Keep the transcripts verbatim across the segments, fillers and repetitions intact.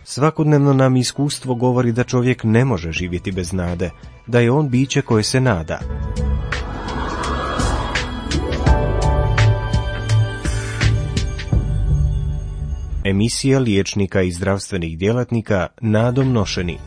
Svakodnevno nam iskustvo govori da čovjek ne može živjeti bez nade, da je on biće koje se nada. Emisija liječnika i zdravstvenih djelatnika nadom nošeni.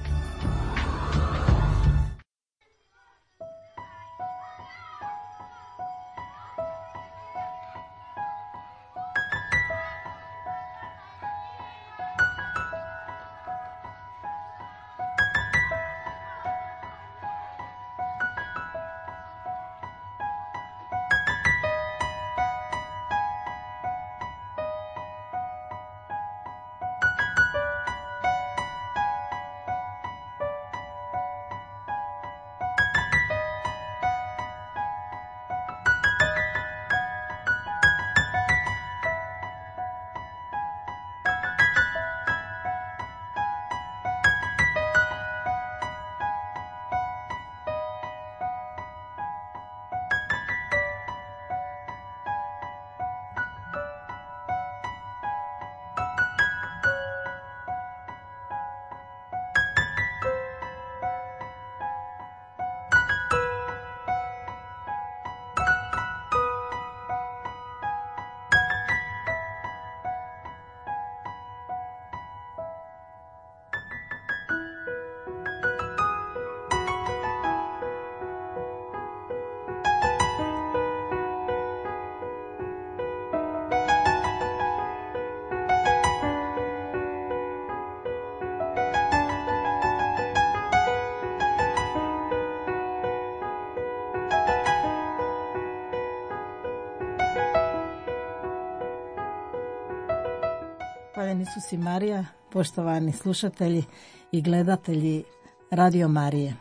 Hvaljen Isus i Marija, poštovani slušatelji i gledatelji Radio Marije.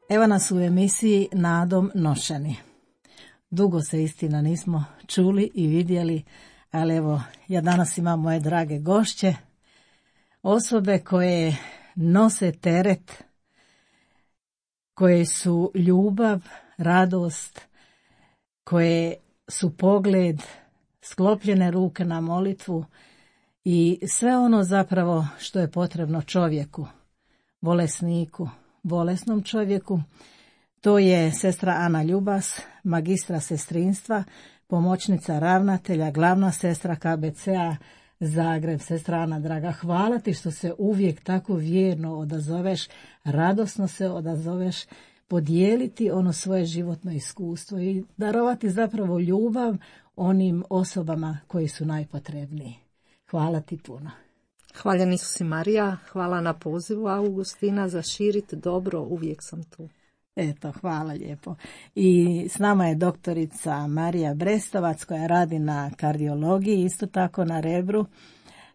Evo nas u emisiji Nadom nošeni. Dugo se istina nismo čuli i vidjeli, ali evo, ja danas imam moje drage gošće, osobe koje nose teret, koje su ljubav, radost, koje su pogled, sklopljene ruke na molitvu i sve ono zapravo što je potrebno čovjeku, bolesniku, bolesnom čovjeku. To je sestra Ana Ljubas, magistra sestrinstva, pomoćnica ravnatelja, glavna sestra K B C-a Zagreb. Sestra Ana, draga, hvala ti što se uvijek tako vjerno odazoveš, radosno se odazoveš, podijeliti ono svoje životno iskustvo i darovati zapravo ljubav onim osobama koji su najpotrebniji. Hvala ti puno. Hvaljen Isus i Marija, hvala na pozivu Augustina za širiti dobro, uvijek sam tu. Eto, hvala lijepo. I s nama je doktorica Marija Brestovac koja radi na kardiologiji, isto tako na Rebru.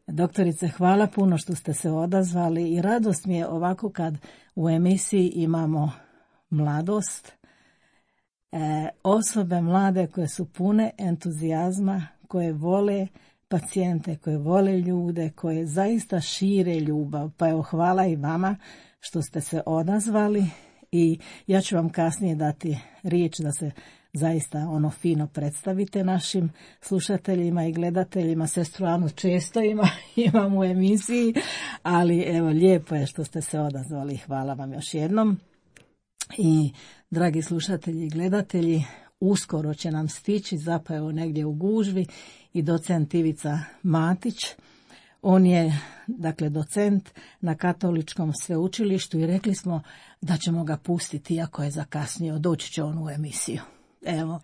Doktorice, hvala puno što ste se odazvali i radost mi je ovako kad u emisiji imamo mladost, e, osobe mlade koje su pune entuzijazma, koje vole pacijente, koje vole ljude, koje zaista šire ljubav. Pa evo, hvala i vama što ste se odazvali i ja ću vam kasnije dati riječ da se zaista ono fino predstavite našim slušateljima i gledateljima. Sestru Anu često ima, imam u emisiji, ali evo, lijepo je što ste se odazvali. Hvala vam još jednom. I dragi slušatelji i gledatelji, uskoro će nam stići zapravo negdje u gužvi i docent Ivica Matić. On je, dakle, docent na Katoličkom sveučilištu i rekli smo da ćemo ga pustiti, iako je zakasnio, doći će on u emisiju. Evo,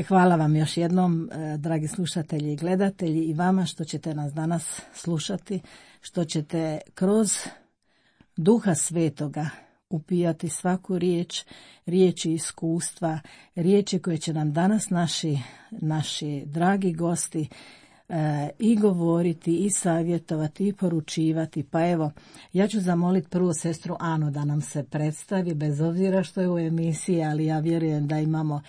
hvala vam još jednom, dragi slušatelji i gledatelji, i vama što ćete nas danas slušati, što ćete kroz Duha Svetoga upijati svaku riječ, riječi iskustva, riječi koje će nam danas naši, naši dragi gosti e, i govoriti, i savjetovati, i poručivati. Pa evo, ja ću zamoliti prvo sestru Anu da nam se predstavi, bez obzira što je u emisiji, ali ja vjerujem da imamo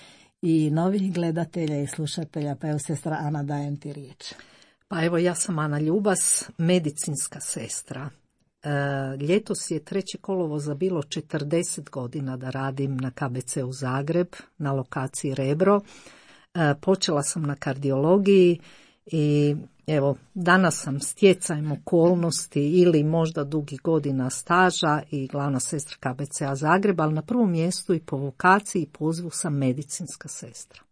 i novih gledatelja i slušatelja. Pa evo, sestra Ana, dajem ti riječ. Pa evo, ja sam Ana Ljubas, medicinska sestra. E, ljetos je treći kolovoza bilo četrdeset godina da radim na K B C u Zagreb, na lokaciji Rebro. E, počela sam na kardiologiji I evo, danas sam stjecajem okolnosti ili možda dugi godina staža i glavna sestra K B C-a Zagreb, ali na prvom mjestu i po vokaciji i pozivu sam medicinska sestra.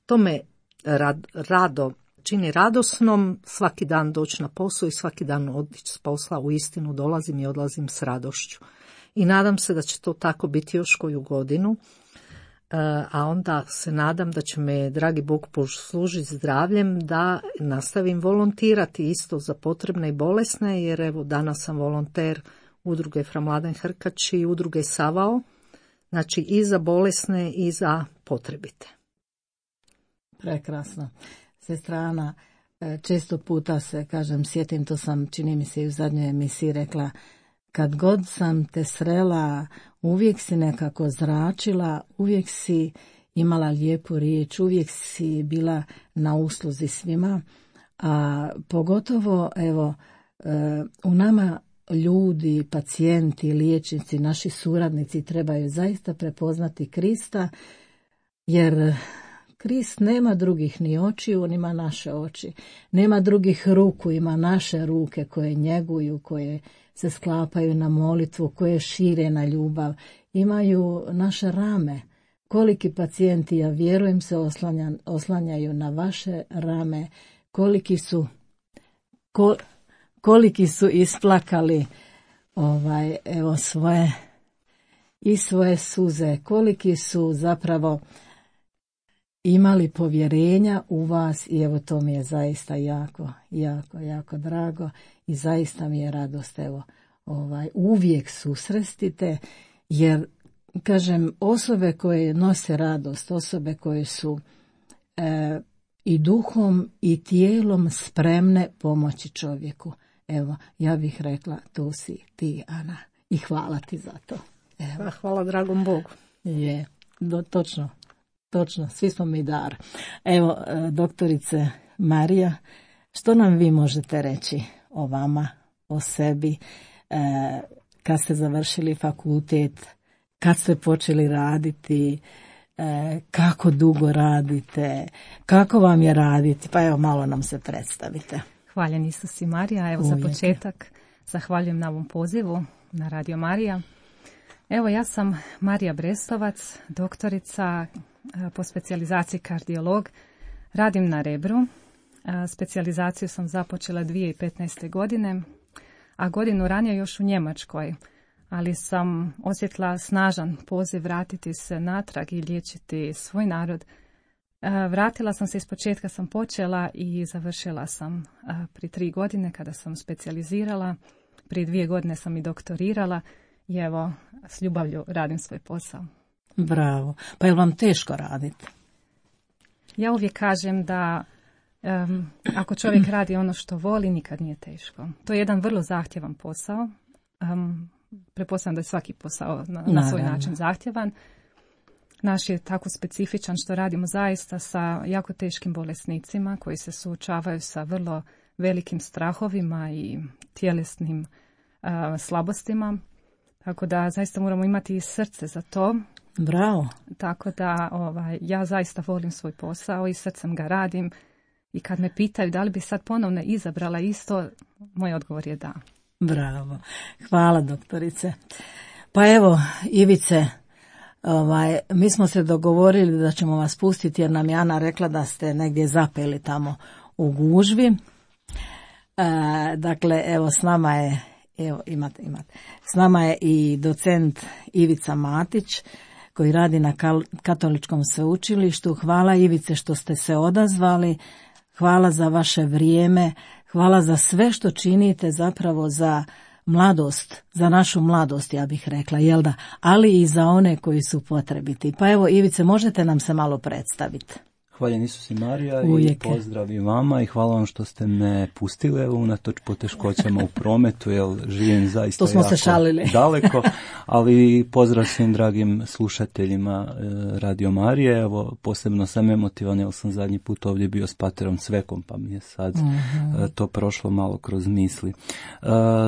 To me rad, rado čini radosnom, svaki dan doći na posao i svaki dan otići s posla, u istinu dolazim i odlazim s radošću. I nadam se da će to tako biti još koju godinu, a onda se nadam da će me, dragi Bog, poslužiti zdravljem da nastavim volontirati isto za potrebne i bolesne, jer evo danas sam volonter udruge Fra Mladen Hrkač i udruge Savao, znači i za bolesne i za potrebite. Prekrasno. Sestra Ana, često puta se, kažem, sjetim, to sam, čini mi se i u zadnjoj emisiji rekla, kad god sam te srela, uvijek si nekako zračila, uvijek si imala lijepu riječ, uvijek si bila na usluzi svima, a pogotovo, evo, u nama ljudi, pacijenti, liječnici, naši suradnici trebaju zaista prepoznati Krista, jer Krist nema drugih ni očiju, on ima naše oči. Nema drugih ruku, ima naše ruke koje njeguju, koje se sklapaju na molitvu, koje šire na ljubav. Imaju naše rame. Koliki pacijenti, ja vjerujem, se oslanja, oslanjaju na vaše rame. Koliki su, ko, koliki su isplakali ovaj, evo, svoje i svoje suze. Koliki su zapravo imali povjerenja u vas i evo to mi je zaista jako, jako, jako drago i zaista mi je radost, evo, ovaj, uvijek susrestite, jer, kažem, osobe koje nose radost, osobe koje su e, i duhom i tijelom spremne pomoći čovjeku. Evo, ja bih rekla, tu si ti, Ana, i hvala ti za to. Evo. Hvala dragom Bogu. Je, do, točno. Točno, svi smo mi dar. Evo, doktorice Marija, što nam vi možete reći o vama, o sebi, e, kad ste završili fakultet, kad ste počeli raditi, e, kako dugo radite, kako vam je raditi, pa evo malo nam se predstavite. Hvaljen Isus i Marija, evo Uvijek. Za početak zahvaljujem na ovom pozivu na Radio Marija. Evo, ja sam Marija Brestovac, doktorica po specijalizaciji kardiolog. Radim na Rebru. Specijalizaciju sam započela dvije tisuće petnaeste. godine, a godinu ranije još u Njemačkoj. Ali sam osjetila snažan poziv vratiti se natrag i liječiti svoj narod. Vratila sam se, iz početka sam počela i završila sam pri tri godine kada sam specijalizirala. Prije dvije godine sam i doktorirala. I evo, s ljubavlju radim svoj posao. Bravo. Pa je li vam teško raditi? Ja uvijek kažem da um, ako čovjek radi ono što voli, nikad nije teško. To je jedan vrlo zahtjevan posao. Um, pretpostavljam da je svaki posao na, na svoj način zahtjevan. Naš je tako specifičan što radimo zaista sa jako teškim bolesnicima koji se suočavaju sa vrlo velikim strahovima i tjelesnim uh, slabostima. Tako da zaista moramo imati i srce za to. Bravo. Tako da ovaj, ja zaista volim svoj posao i srcem ga radim. I kad me pitaju da li bi sad ponovno izabrala isto, moj odgovor je da. Bravo. Hvala, doktorice. Pa evo, Ivice, ovaj, mi smo se dogovorili da ćemo vas pustiti jer nam je Ana rekla da ste negdje zapeli tamo u gužvi. E, dakle, evo s nama je Evo, imate, imate. S nama je i docent Ivica Matić, koji radi na Katoličkom sveučilištu. Hvala, Ivice, što ste se odazvali. Hvala za vaše vrijeme. Hvala za sve što činite zapravo za mladost, za našu mladost, ja bih rekla, jel da? Ali i za one koji su potrebiti. Pa evo, Ivice, možete nam se malo predstaviti? Hvaljen Isus i Marija. Uvijek. I pozdrav i vama i hvala vam što ste me pustili evo, unatoč poteškoćama u prometu, jer živim zaista to smo jako se šalili. daleko, ali pozdrav svim dragim slušateljima Radio Marije. Evo, posebno sam emotivan jer sam zadnji put ovdje bio s paterom Cvekom, pa mi je sad uh-huh. to prošlo malo kroz misli.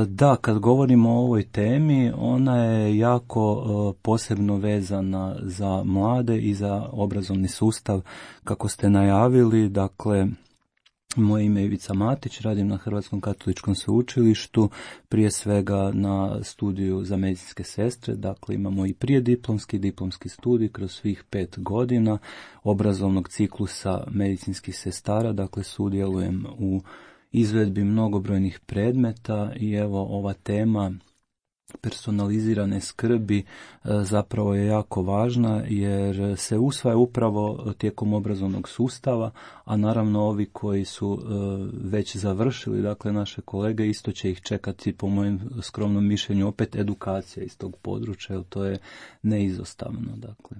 Da, kad govorimo o ovoj temi, ona je jako posebno vezana za mlade i za obrazovni sustav, kako ste najavili. Dakle, Moje ime je Ivica Matić, radim na Hrvatskom katoličkom sveučilištu, prije svega na studiju za medicinske sestre, dakle imamo i prijediplomski i diplomski studij kroz svih pet godina obrazovnog ciklusa medicinskih sestara, dakle sudjelujem u izvedbi mnogobrojnih predmeta i evo ova tema personalizirane skrbi zapravo je jako važna jer se usvaja upravo tijekom obrazovnog sustava, a naravno ovi koji su već završili, dakle naše kolege, isto će ih čekati po mojem skromnom mišljenju opet edukacija iz tog područja, jer to je neizostavno, dakle.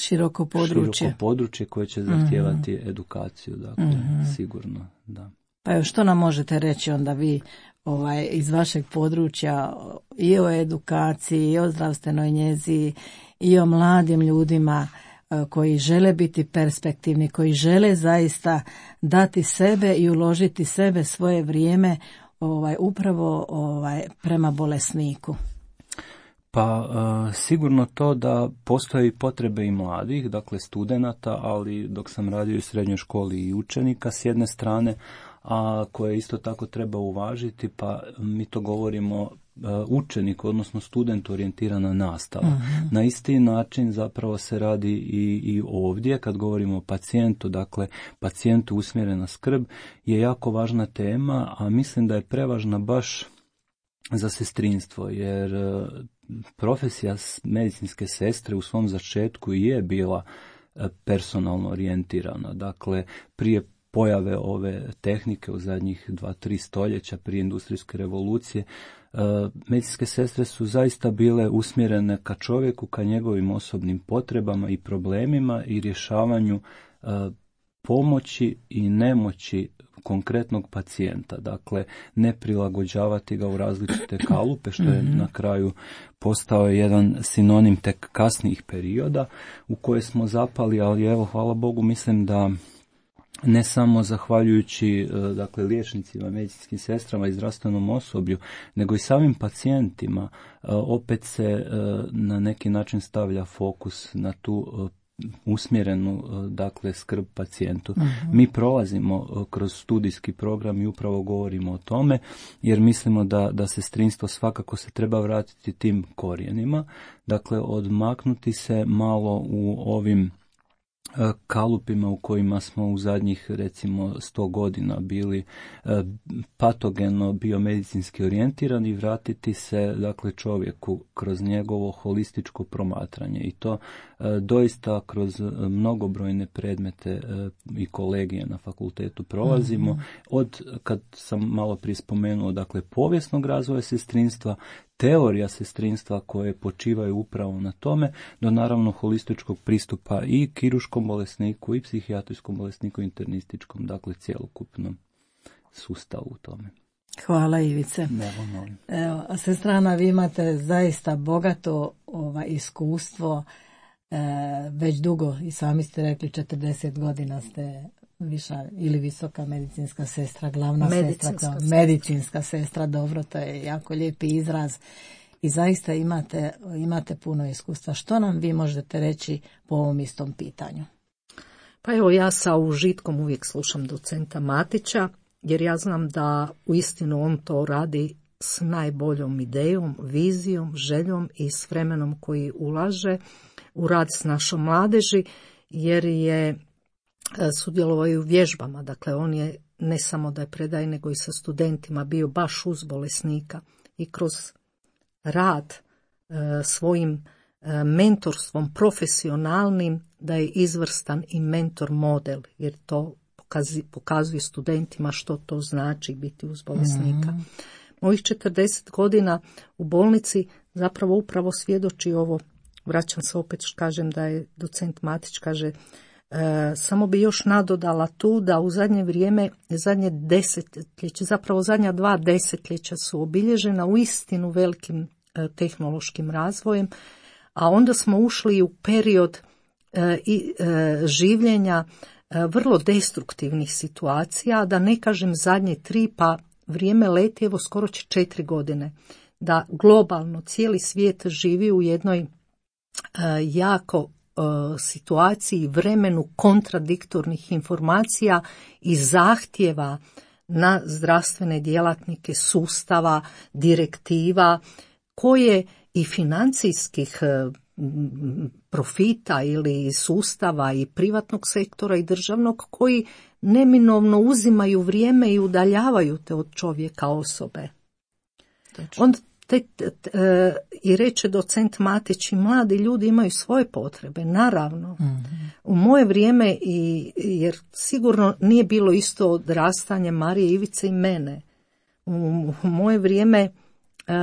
Široko područje. Široko područje koje će zahtijevati mm-hmm. edukaciju, dakle, mm-hmm. sigurno, da. Pa što nam možete reći onda vi ovaj, iz vašeg područja i o edukaciji, i o zdravstvenoj njezi, i o mladim ljudima koji žele biti perspektivni, koji žele zaista dati sebe i uložiti sebe, svoje vrijeme ovaj, upravo ovaj, prema bolesniku? Pa uh, sigurno to da postoje potrebe i mladih, dakle studenata, ali dok sam radio u srednjoj školi i učenika s jedne strane, a koje isto tako treba uvažiti, pa mi to govorimo uh, učenik, odnosno student orijentirana nastava. Uh-huh. Na isti način zapravo se radi i, i ovdje, kad govorimo o pacijentu, dakle pacijentu usmjerena skrb je jako važna tema, a mislim da je prevažna baš za sestrinstvo, jer profesija medicinske sestre u svom začetku je bila personalno orijentirana. Dakle, prije pojave ove tehnike u zadnjih dva, tri stoljeća, prije industrijske revolucije, medicinske sestre su zaista bile usmjerene ka čovjeku, ka njegovim osobnim potrebama i problemima i rješavanju pomoći i nemoći konkretnog pacijenta, dakle ne prilagođavati ga u različite kalupe, što je na kraju postao jedan sinonim tek kasnijih perioda u koje smo zapali, ali evo, hvala Bogu, mislim da ne samo zahvaljujući dakle liječnicima, medicinskim sestrama i zdravstvenom osoblju, nego i samim pacijentima, opet se na neki način stavlja fokus na tu usmjerenu, dakle, skrb pacijentu. Uh-huh. Mi prolazimo kroz studijski program i upravo govorimo o tome, jer mislimo da, da sestrinstvo svakako se treba vratiti tim korijenima, dakle, odmaknuti se malo u ovim kalupima u kojima smo u zadnjih recimo sto godina bili patogeno biomedicinski orijentirani i vratiti se dakle čovjeku kroz njegovo holističko promatranje i to doista kroz mnogobrojne predmete i kolegije na fakultetu prolazimo. Mm-hmm. Od, kad sam malo prije spomenuo, dakle povijesnog razvoja sestrinstva, teorija sestrinstva koje počivaju upravo na tome, do naravno holističkog pristupa i kirurškom bolesniku i psihijatrijskom bolesniku, internističkom, dakle cjelokupnom sustavu u tome. Hvala Ivice. Evo, molim. Evo, sestrana, vi imate zaista bogato ovaj, iskustvo, e, već dugo, i sami ste rekli, četrdeset godina ste viša ili visoka medicinska sestra, glavna medicinska sestra, kao sestra. medicinska sestra, dobro, to je jako lijepi izraz i zaista imate, imate puno iskustva. Što nam vi možete reći po ovom istom pitanju? Pa evo, ja sa užitkom uvijek slušam docenta Matića, jer ja znam da uistinu on to radi s najboljom idejom, vizijom, željom i s vremenom koji ulaže u rad s našom mladeži, jer je sudjelovao i u vježbama. Dakle, on je ne samo da je predaje, nego i sa studentima bio baš uz bolesnika i kroz rad e, svojim e, mentorstvom profesionalnim da je izvrstan i mentor model, jer to pokazi, pokazuje studentima što to znači biti uz bolesnika. Mm-hmm. Mojih četrdeset godina u bolnici zapravo upravo svjedoči ovo. Vraćam se opet, kažem da je docent Matić, kaže, E, samo bi još nadodala tu da u zadnje vrijeme, zadnje desetljeće, zapravo zadnja dva desetljeća su obilježena u istinu velikim e, tehnološkim razvojem, a onda smo ušli u period e, i, e, življenja e, vrlo destruktivnih situacija, da ne kažem zadnje tri, pa vrijeme leti, evo skoro će četiri godine, da globalno cijeli svijet živi u jednoj e, jako situaciji, vremenu kontradiktornih informacija i zahtjeva na zdravstvene djelatnike sustava, direktiva, koje i financijskih profita ili sustava i privatnog sektora i državnog, koji neminovno uzimaju vrijeme i udaljavaju te od čovjeka osobe. Onda te, te, te, i reče docent Matić, i mladi ljudi imaju svoje potrebe, naravno. Mm-hmm. U moje vrijeme, i, jer sigurno nije bilo isto odrastanje Marije, Ivice i mene, u, u moje vrijeme uh,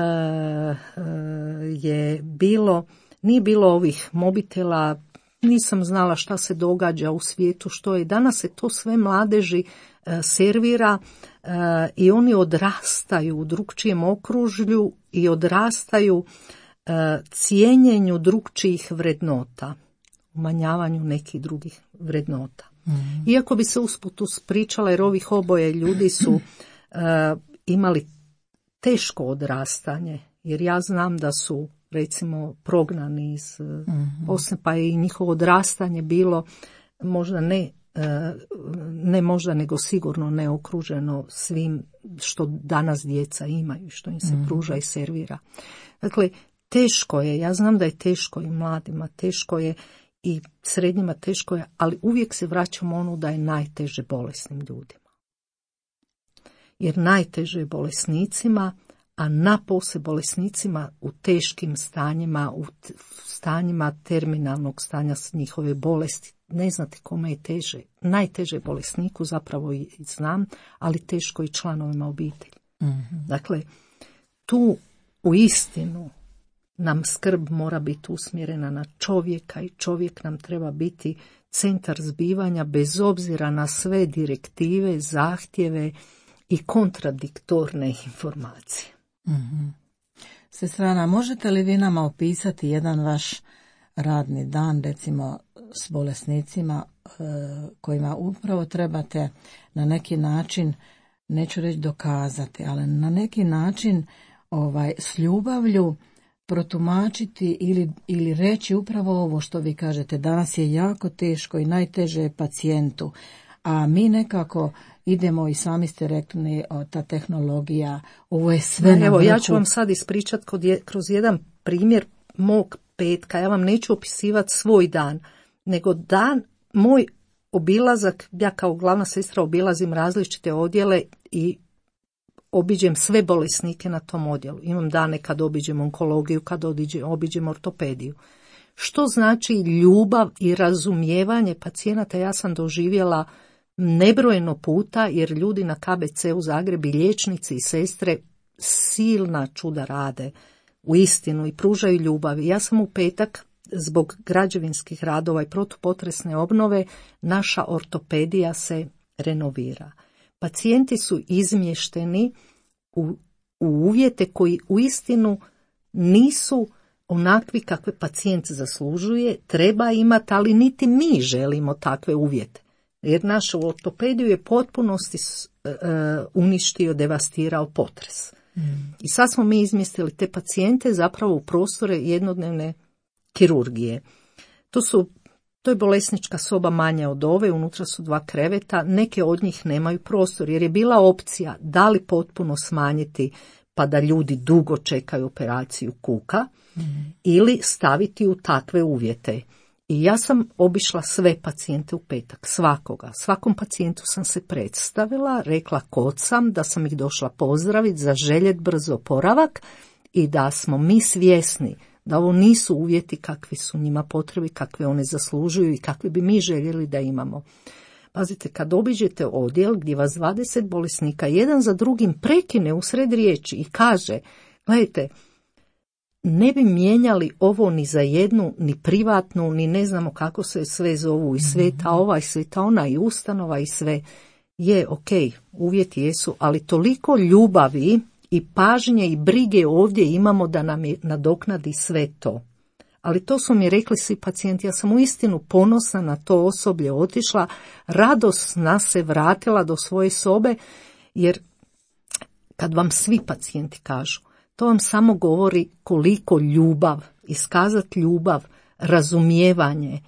uh, je bilo, nije bilo ovih mobitela, nisam znala šta se događa u svijetu, što je. Danas se to sve mladeži uh, servira uh, i oni odrastaju u drukčijem okružju i odrastaju uh, cijenjenju drukčijih vrednota, umanjavanju nekih drugih vrednota. Mm-hmm. Iako bi se usput uspričala, jer ovih oboje ljudi su uh, imali teško odrastanje, jer ja znam da su recimo prognani iz mm-hmm. Bosne, pa je i njihovo odrastanje bilo možda ne, ne možda nego sigurno ne okruženo svim što danas djeca imaju, što im se mm-hmm. pruža i servira. Dakle, teško je, ja znam da je teško i mladima, teško je i srednjima, teško je, ali uvijek se vraćamo ono da je najteže bolesnim ljudima. Jer najteže je bolesnicima, a napose bolesnicima u teškim stanjima, u stanjima terminalnog stanja njihove bolesti. Ne znate kome je teže. Najteže bolesniku zapravo i znam, ali teško i članovima obitelji. Mm-hmm. Dakle, tu u istinu nam skrb mora biti usmjerena na čovjeka i čovjek nam treba biti centar zbivanja bez obzira na sve direktive, zahtjeve i kontradiktorne informacije. Mm-hmm. Sestrana, možete li vi nama opisati jedan vaš radni dan, recimo s bolesnicima e, kojima upravo trebate na neki način, neću reći dokazati, ali na neki način ovaj, s ljubavlju protumačiti ili, ili reći upravo ovo što vi kažete, danas je jako teško i najteže je pacijentu, a mi nekako idemo, i sami ste rekli, ta tehnologija, ovo je sve na Evo, vrhu. Ja ću vam sad ispričati kroz jedan primjer mog petka. Ja vam neću opisivati svoj dan, nego dan, moj obilazak, ja kao glavna sestra obilazim različite odjele i obiđem sve bolesnike na tom odjelu. Imam dane kad obiđem onkologiju, kad obiđem ortopediju. Što znači ljubav i razumijevanje pacijenata, ja sam doživjela nebrojeno puta, jer ljudi na K B C u Zagrebu, liječnici i sestre, silna čuda rade u istinu i pružaju ljubav. Ja sam u petak zbog građevinskih radova i protupotresne obnove, naša ortopedija se renovira. Pacijenti su izmješteni u, u uvjete koji u istinu nisu onakvi kakve pacijent zaslužuje, treba imati, ali niti mi želimo takve uvjete. Jer našu ortopediju je potpunosti uh, uništio, devastirao potres. Mm. I sad smo mi izmjestili te pacijente zapravo u prostore jednodnevne kirurgije. To su, to je bolesnička soba manja od ove, unutra su dva kreveta, neke od njih nemaju prostor, jer je bila opcija da li potpuno smanjiti pa da ljudi dugo čekaju operaciju kuka, mm. ili staviti u takve uvjete. I ja sam obišla sve pacijente u petak, svakoga. Svakom pacijentu sam se predstavila, rekla kod sam, da sam ih došla pozdraviti, zaželjet brzo oporavak i da smo mi svjesni da ovo nisu uvjeti kakvi su njima potrebi, kakve one zaslužuju i kakvi bi mi željeli da imamo. Pazite, kad obiđete odjel gdje vas dvadeset bolesnika jedan za drugim prekine usred riječi i kaže, gledajte, ne bi mijenjali ovo ni za jednu, ni privatnu, ni ne znamo kako se sve zovu, i sveta ova, i sveta ona, i ustanova, i sve. Je, ok, uvjeti jesu, ali toliko ljubavi i pažnje i brige ovdje imamo da nam je nadoknadi sve to. Ali to su mi rekli svi pacijenti, ja sam uistinu ponosna na to osoblje, otišla, radosna se vratila do svoje sobe, jer kad vam svi pacijenti kažu, to vam samo govori koliko ljubav, iskazati ljubav, razumijevanje.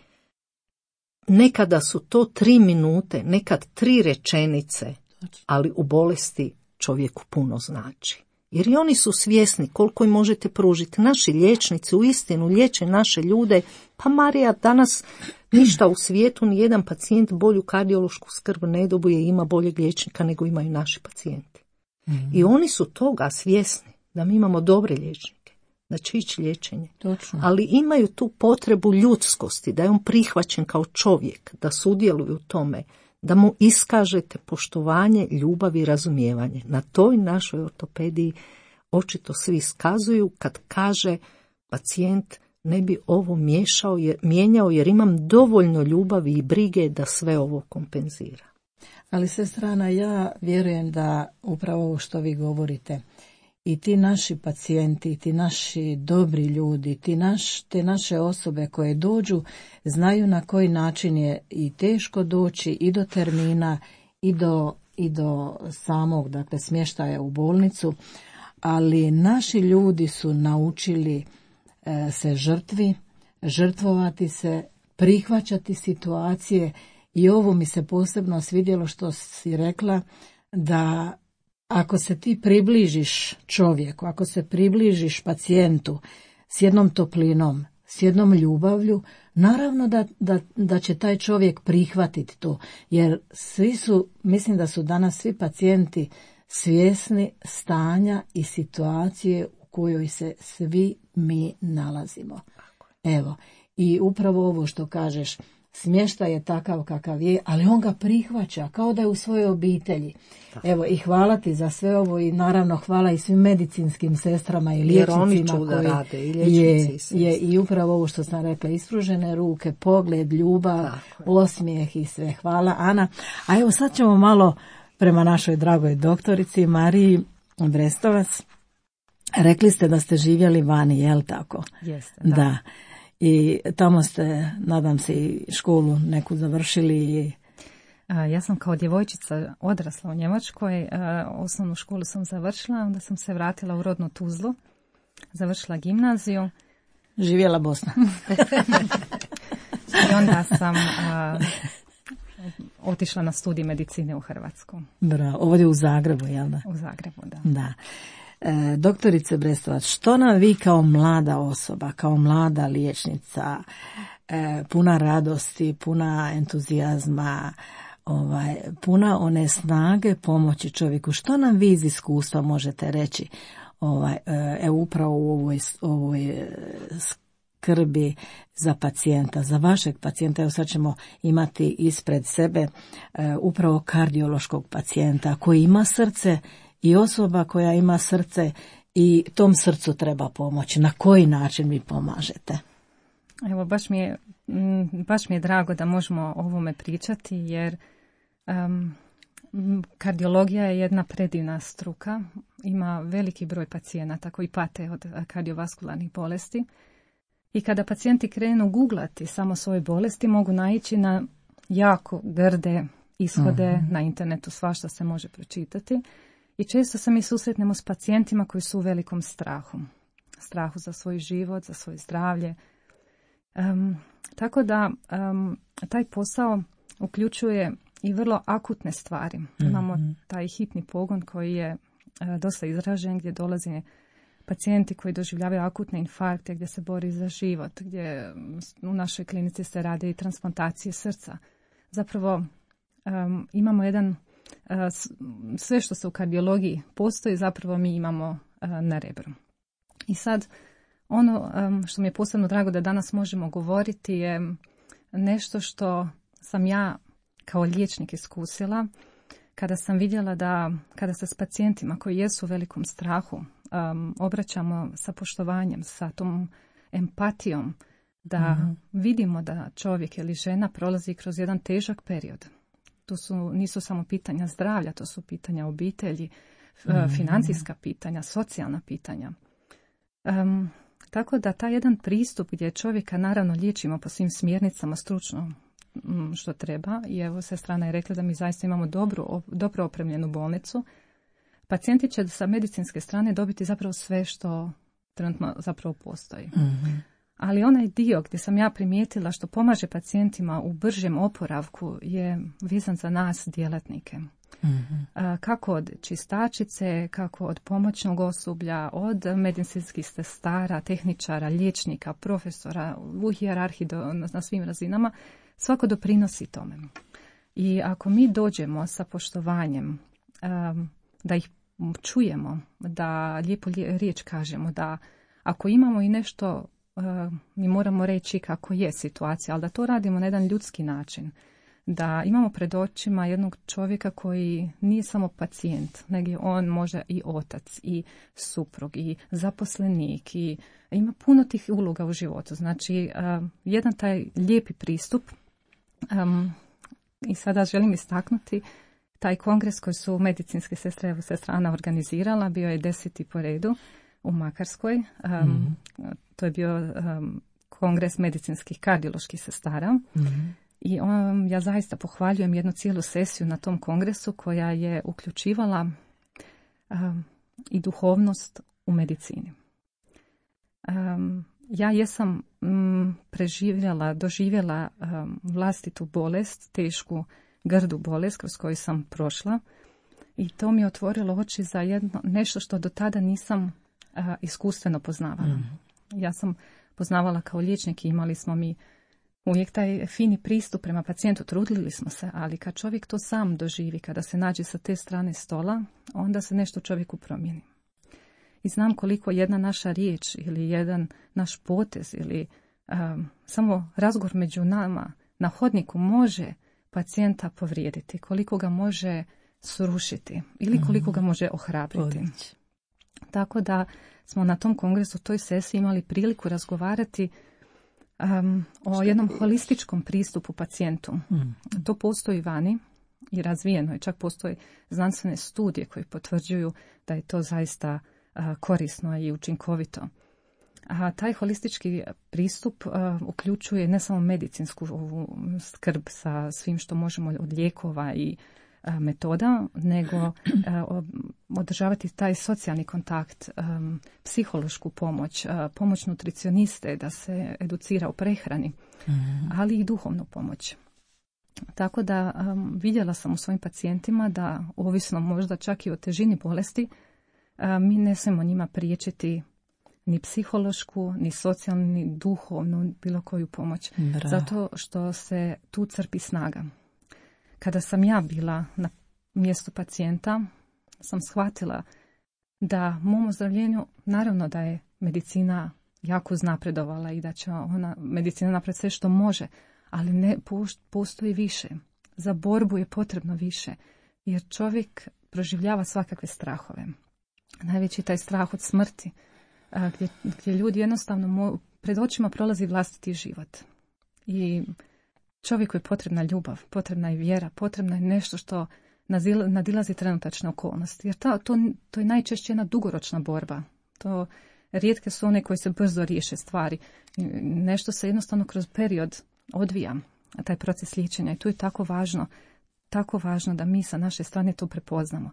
Nekada su to tri minute, nekad tri rečenice, ali u bolesti čovjeku puno znači. Jer i oni su svjesni koliko im možete pružiti. Naši liječnici uistinu liječe naše ljude. Pa Marija, danas ništa u svijetu, ni jedan pacijent bolju kardiološku skrb ne dobije, ima boljeg liječnika nego imaju naši pacijenti. Mm-hmm. I oni su toga svjesni da mi imamo dobre liječnike, da će ići liječenje. Točno. Ali imaju tu potrebu ljudskosti, da je on prihvaćen kao čovjek, da sudjeluje u tome, da mu iskažete poštovanje, ljubav i razumijevanje. Na toj našoj ortopediji očito svi iskazuju kad kaže pacijent ne bi ovo miješao, jer, mijenjao jer imam dovoljno ljubavi i brige da sve ovo kompenzira. Ali sestrana, ja vjerujem da upravo ovo što vi govorite, i ti naši pacijenti, ti naši dobri ljudi, ti naš, te naše osobe koje dođu, znaju na koji način je i teško doći i do termina i do, i do samog, dakle, smještaja u bolnicu, ali naši ljudi su naučili e, se žrtvi, žrtvovati se, prihvaćati situacije. I ovo mi se posebno svidjelo što si rekla, da ako se ti približiš čovjeku, ako se približiš pacijentu s jednom toplinom, s jednom ljubavlju, naravno da, da, da će taj čovjek prihvatiti to. Jer svi su, mislim da su danas svi pacijenti svjesni stanja i situacije u kojoj se svi mi nalazimo. Evo, i upravo ovo što kažeš, smještaj je takav kakav je, ali on ga prihvaća kao da je u svojoj obitelji. Evo, i hvala ti za sve ovo i naravno hvala i svim medicinskim sestrama i liječnicima koji rade, i liječnici, je, je i upravo ovo što sam rekla, ispružene ruke, pogled, ljubav, osmijeh i sve. Hvala, Ana. A evo sad ćemo malo prema našoj dragoj doktorici Mariji Brestovac. Rekli ste da ste živjeli vani, je li tako? Jeste, da. Da. I tamo ste, nadam se, i školu neku završili. I... Ja sam kao djevojčica odrasla u Njemačkoj, osnovnu školu sam završila, onda sam se vratila u rodnu Tuzlu, završila gimnaziju. Živjela Bosna. I onda sam a, otišla na studij medicine u Hrvatsku. Bravo, ovdje u Zagrebu, jel da? U Zagrebu, da. Da. E, doktorice Brestovac, što nam vi kao mlada osoba, kao mlada liječnica, e, puna radosti, puna entuzijazma, ovaj, puna one snage pomoći čovjeku, što nam vi iz iskustva možete reći ovaj, e, upravo u ovoj, ovoj skrbi za pacijenta, za vašeg pacijenta? Evo sad ćemo imati ispred sebe e, upravo kardiološkog pacijenta koji ima srce i osoba koja ima srce i tom srcu treba pomoći. Na koji način vi pomažete? Evo, baš mi je, baš mi je drago da možemo o ovome pričati, jer um, kardiologija je jedna predivna struka. Ima veliki broj pacijenata koji pate od kardiovaskularnih bolesti. I kada pacijenti krenu googlati samo svoje bolesti, mogu naići na jako grde ishode. Uh-huh. Na internetu svašta se može pročitati. I često se mi susretnemo s pacijentima koji su u velikom strahu. Strahu za svoj život, za svoje zdravlje. Um, tako da um, taj posao uključuje i vrlo akutne stvari. Mm-hmm. Imamo taj hitni pogon koji je uh, dosta izražen, gdje dolaze pacijenti koji doživljavaju akutne infarkte, gdje se bori za život, gdje u našoj klinici se rade i transplantacije srca. Zapravo um, imamo jedan sve što se u kardiologiji postoji, zapravo mi imamo na Rebru. I sad, ono što mi je posebno drago da danas možemo govoriti je nešto što sam ja kao liječnik iskusila kada sam vidjela da kada se s pacijentima koji jesu u velikom strahu um, obraćamo sa poštovanjem, sa tom empatijom, da mm-hmm. vidimo da čovjek ili žena prolazi kroz jedan težak period. To su, nisu samo pitanja zdravlja, to su pitanja obitelji, mm. financijska pitanja, socijalna pitanja. Um, tako da taj jedan pristup gdje čovjeka naravno liječimo po svim smjernicama stručno m, što treba, i evo sestrana je rekla da mi zaista imamo dobru, dobro opremljenu bolnicu, pacijenti će sa medicinske strane dobiti zapravo sve što trenutno zapravo postoji. Mm-hmm. Ali onaj dio gdje sam ja primijetila što pomaže pacijentima u bržem oporavku je vezan za nas djelatnike. Mm-hmm. Kako od čistačice, kako od pomoćnog osoblja, od medicinskih sestara, tehničara, liječnika, profesora, u hijerarhiji do, na svim razinama, svako doprinosi tome. I ako mi dođemo sa poštovanjem, um, da ih čujemo, da lijepo riječ kažemo, da ako imamo i nešto, uh, mi moramo reći kako je situacija, ali da to radimo na jedan ljudski način, da imamo pred očima jednog čovjeka koji nije samo pacijent, nego je on možda i otac, i suprug, i zaposlenik, i ima puno tih uloga u životu. Znači, uh, jedan taj lijepi pristup, um, i sada želim istaknuti, taj kongres koji su medicinske sestre, evo sestra Ana organizirala, bio je deseti po redu u Makarskoj. Um, mm-hmm. To je bio um, kongres medicinskih kardioloških sestara. Mm-hmm. I on, ja zaista pohvaljujem jednu cijelu sesiju na tom kongresu koja je uključivala um, i duhovnost u medicini. Um, ja jesam um, preživjela, doživjela um, vlastitu bolest, tešku grdu bolest kroz koju sam prošla i to mi je otvorilo oči za jedno, nešto što do tada nisam uh, iskustveno poznavala. Mm. Ja sam poznavala kao liječnik i imali smo mi uvijek taj fini pristup prema pacijentu, trudili smo se, ali kad čovjek to sam doživi, kada se nađe sa te strane stola, onda se nešto čovjeku promijeni. I znam koliko jedna naša riječ ili jedan naš potez ili um, samo razgovor među nama na hodniku može pacijenta povrijediti, koliko ga može srušiti ili koliko ga može ohrabriti. Odlič. Tako da smo na tom kongresu, toj sesiji imali priliku razgovarati um, o jednom holističkom pristupu pacijentu. Mm. To postoji vani i razvijeno je, čak postoje znanstvene studije koje potvrđuju da je to zaista uh, korisno i učinkovito. A taj holistički pristup uh, uključuje ne samo medicinsku ovu skrb sa svim što možemo od lijekova i uh, metoda, nego uh, održavati taj socijalni kontakt, um, psihološku pomoć, uh, pomoć nutricioniste da se educira u prehrani, mm-hmm. ali i duhovnu pomoć. Tako da um, vidjela sam u svojim pacijentima da, ovisno možda čak i o težini bolesti, uh, mi ne smijemo njima priječiti ni psihološku, ni socijalnu, ni duhovnu, bilo koju pomoć. Bravo. Zato što se tu crpi snaga. Kada sam ja bila na mjestu pacijenta, sam shvatila da mom ozdravljenju, naravno da je medicina jako uznapredovala i da će ona, medicina napraviti sve što može, ali ne postoji više. Za borbu je potrebno više, jer čovjek proživljava svakakve strahove. Najveći taj strah od smrti, Gdje, gdje ljudi jednostavno mo, pred očima prolazi vlastiti život. I čovjeku je potrebna ljubav, potrebna je vjera, potrebna je nešto što nazil, nadilazi trenutačne okolnosti. Jer to, to, to je najčešće jedna dugoročna borba. To rijetke su one koji se brzo riješe stvari. Nešto se jednostavno kroz period odvija, taj proces liječenja. I tu je tako važno, tako važno da mi sa naše strane to prepoznamo.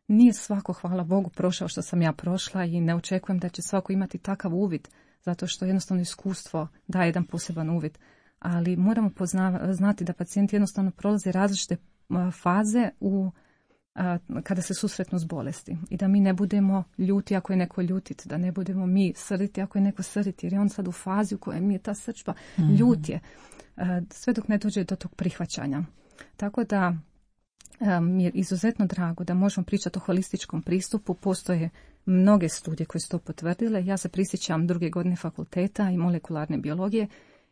Nije svako, hvala Bogu, prošao što sam ja prošla i ne očekujem da će svako imati takav uvid, zato što jednostavno iskustvo daje jedan poseban uvid. Ali moramo poznava, znati da pacijenti jednostavno prolaze različite faze u, a, kada se susretnu s bolesti. I da mi ne budemo ljuti ako je neko ljutit, da ne budemo mi srditi ako je neko srditi, jer je on sad u fazi u kojoj mi je ta srčba mm-hmm. ljut je. A, sve dok ne dođe do tog prihvaćanja. Tako da mi je izuzetno drago da možemo pričati o holističkom pristupu. Postoje mnoge studije koje su to potvrdile. Ja se prisjećam druge godine fakulteta i molekularne biologije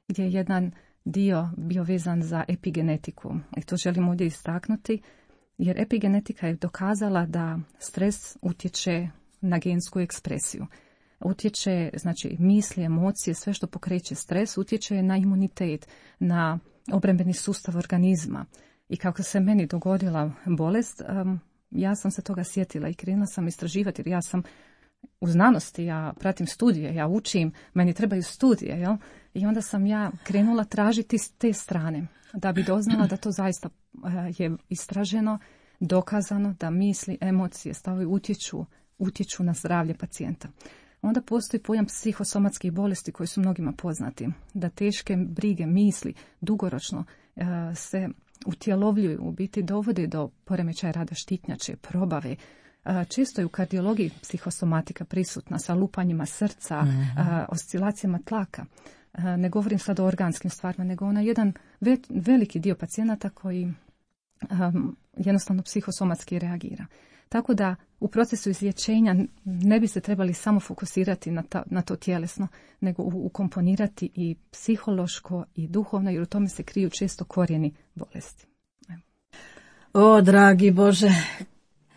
gdje je jedan dio bio vezan za epigenetiku. I to želim ovdje istaknuti jer epigenetika je dokazala da stres utječe na gensku ekspresiju. Utječe, znači, misli, emocije, sve što pokreće stres, utječe na imunitet, na obrambeni sustav organizma. I kako se meni dogodila bolest, um, ja sam se toga sjetila i krenula sam istraživati, jer ja sam u znanosti, ja pratim studije, ja učim, meni trebaju studije, jel? I onda sam ja krenula tražiti s te strane, da bi doznala da to zaista uh, je istraženo, dokazano, da misli, emocije, stavovi utječu, utječu na zdravlje pacijenta. Onda postoji pojam psihosomatskih bolesti koji su mnogima poznati. Da teške brige, misli, dugoročno e, se utjelovljuju, u biti dovode do poremećaja rada štitnjače, probave. E, često je u kardiologiji psihosomatika prisutna sa lupanjima srca, mm-hmm. e, oscilacijama tlaka. E, ne govorim sad o organskim stvarima, nego ona jedan ve, veliki dio pacijenata koji e, jednostavno psihosomatski reagira. Tako da u procesu izlječenja ne bi se trebali samo fokusirati na, ta, na to tjelesno, nego ukomponirati i psihološko i duhovno, jer u tome se kriju često korijeni bolesti. Evo. O, dragi Bože,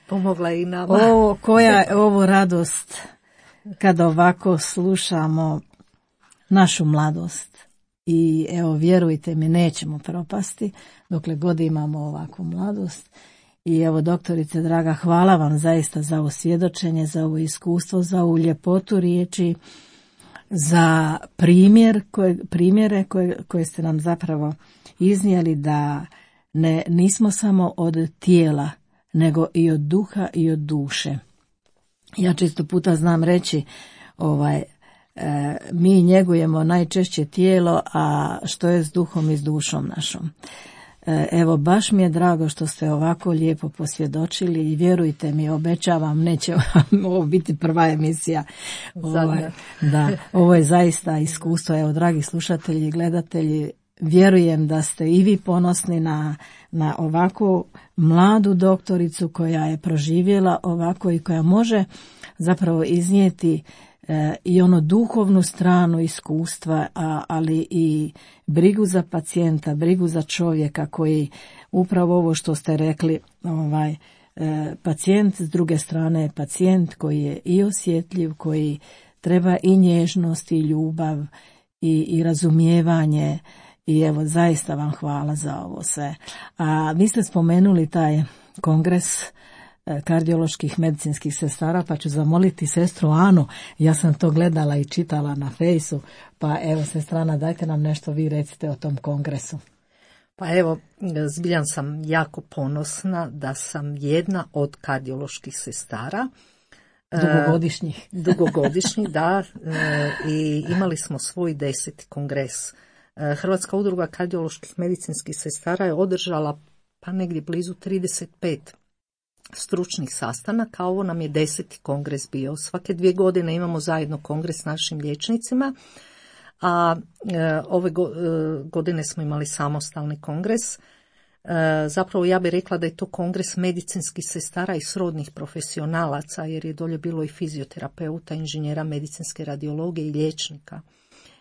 pomogla i nama. O, koja je ovo radost kada ovako slušamo našu mladost. I evo, vjerujte mi, nećemo propasti dokle god imamo ovakvu mladost. I evo, doktorice draga, hvala vam zaista za ovo svjedočenje, za ovo iskustvo, za ovu ljepotu riječi, za primjer koje, primjere koje, koje ste nam zapravo iznijeli, da ne, nismo samo od tijela, nego i od duha i od duše. Ja često puta znam reći, ovaj, e, mi njegujemo najčešće tijelo, a što je s duhom i s dušom našom. Evo, baš mi je drago što ste ovako lijepo posvjedočili i vjerujte mi, obećavam, neće ovo biti prva emisija. Ovaj, da, ovo je zaista iskustvo. Evo, dragi slušatelji i gledatelji, vjerujem da ste i vi ponosni na, na ovakvu mladu doktoricu koja je proživjela ovako i koja može zapravo iznijeti E, i ono duhovnu stranu iskustva, a, ali i brigu za pacijenta, brigu za čovjeka koji upravo ovo što ste rekli, ovaj, e, pacijent s druge strane je pacijent koji je i osjetljiv, koji treba i nježnost i ljubav i, i razumijevanje. I evo, zaista vam hvala za ovo sve. A vi ste spomenuli taj kongres kardioloških medicinskih sestara, pa ću zamoliti sestru Anu, ja sam to gledala i čitala na fejsu, pa evo, sestrana, dajte nam nešto vi recite o tom kongresu. Pa evo, zbiljan sam jako ponosna da sam jedna od kardioloških sestara. Dugogodišnjih. E, dugogodišnjih, da, e, i imali smo svoj deseti kongres. E, Hrvatska udruga kardioloških medicinskih sestara je održala pa negdje blizu trideset pet stručnih sastanaka, ovo nam je deseti kongres bio. Svake dvije godine imamo zajedno kongres s našim liječnicima, a e, ove go, e, godine smo imali samostalni kongres. E, zapravo ja bih rekla da je to kongres medicinskih sestara i srodnih profesionalaca, jer je dolje bilo i fizioterapeuta, inženjera medicinske radiologije i liječnika.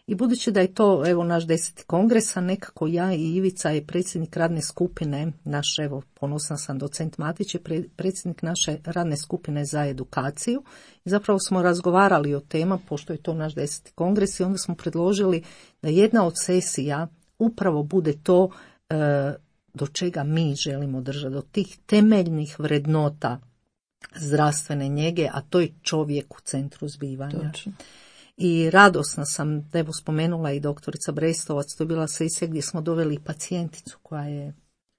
I budući da je to, evo, naš deseti kongres, a nekako ja i Ivica je predsjednik radne skupine, naš, evo, ponosna sam, docent Matić je pre, predsjednik naše radne skupine za edukaciju. I zapravo smo razgovarali o tema, pošto je to naš deseti kongres, i onda smo predložili da jedna od sesija upravo bude to e, do čega mi želimo držati, do tih temeljnih vrednota zdravstvene njege, a to je čovjek u centru zbivanja. Točno. I radosna sam, da evo spomenula i doktorica Brestovac, to je bila sesija gdje smo doveli pacijenticu koja je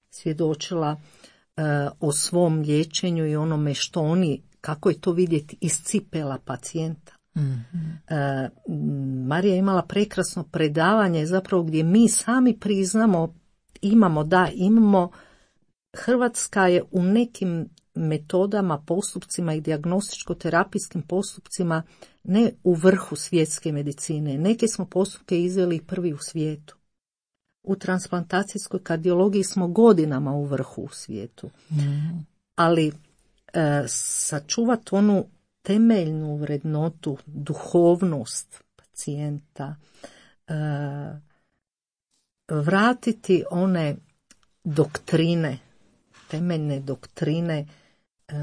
svjedočila e, o svom liječenju i onome što oni, kako je to vidjeti iz cipela pacijenta. Mm-hmm. E, Marija je imala prekrasno predavanje zapravo gdje mi sami priznamo, imamo, da, imamo, Hrvatska je u nekim metodama, postupcima i dijagnostičko-terapijskim postupcima ne u vrhu svjetske medicine. Neke smo postupke izveli prvi u svijetu. U transplantacijskoj kardiologiji smo godinama u vrhu u svijetu. Mm. Ali e, sačuvati onu temeljnu vrednotu, duhovnost pacijenta, e, vratiti one doktrine, temeljne doktrine e,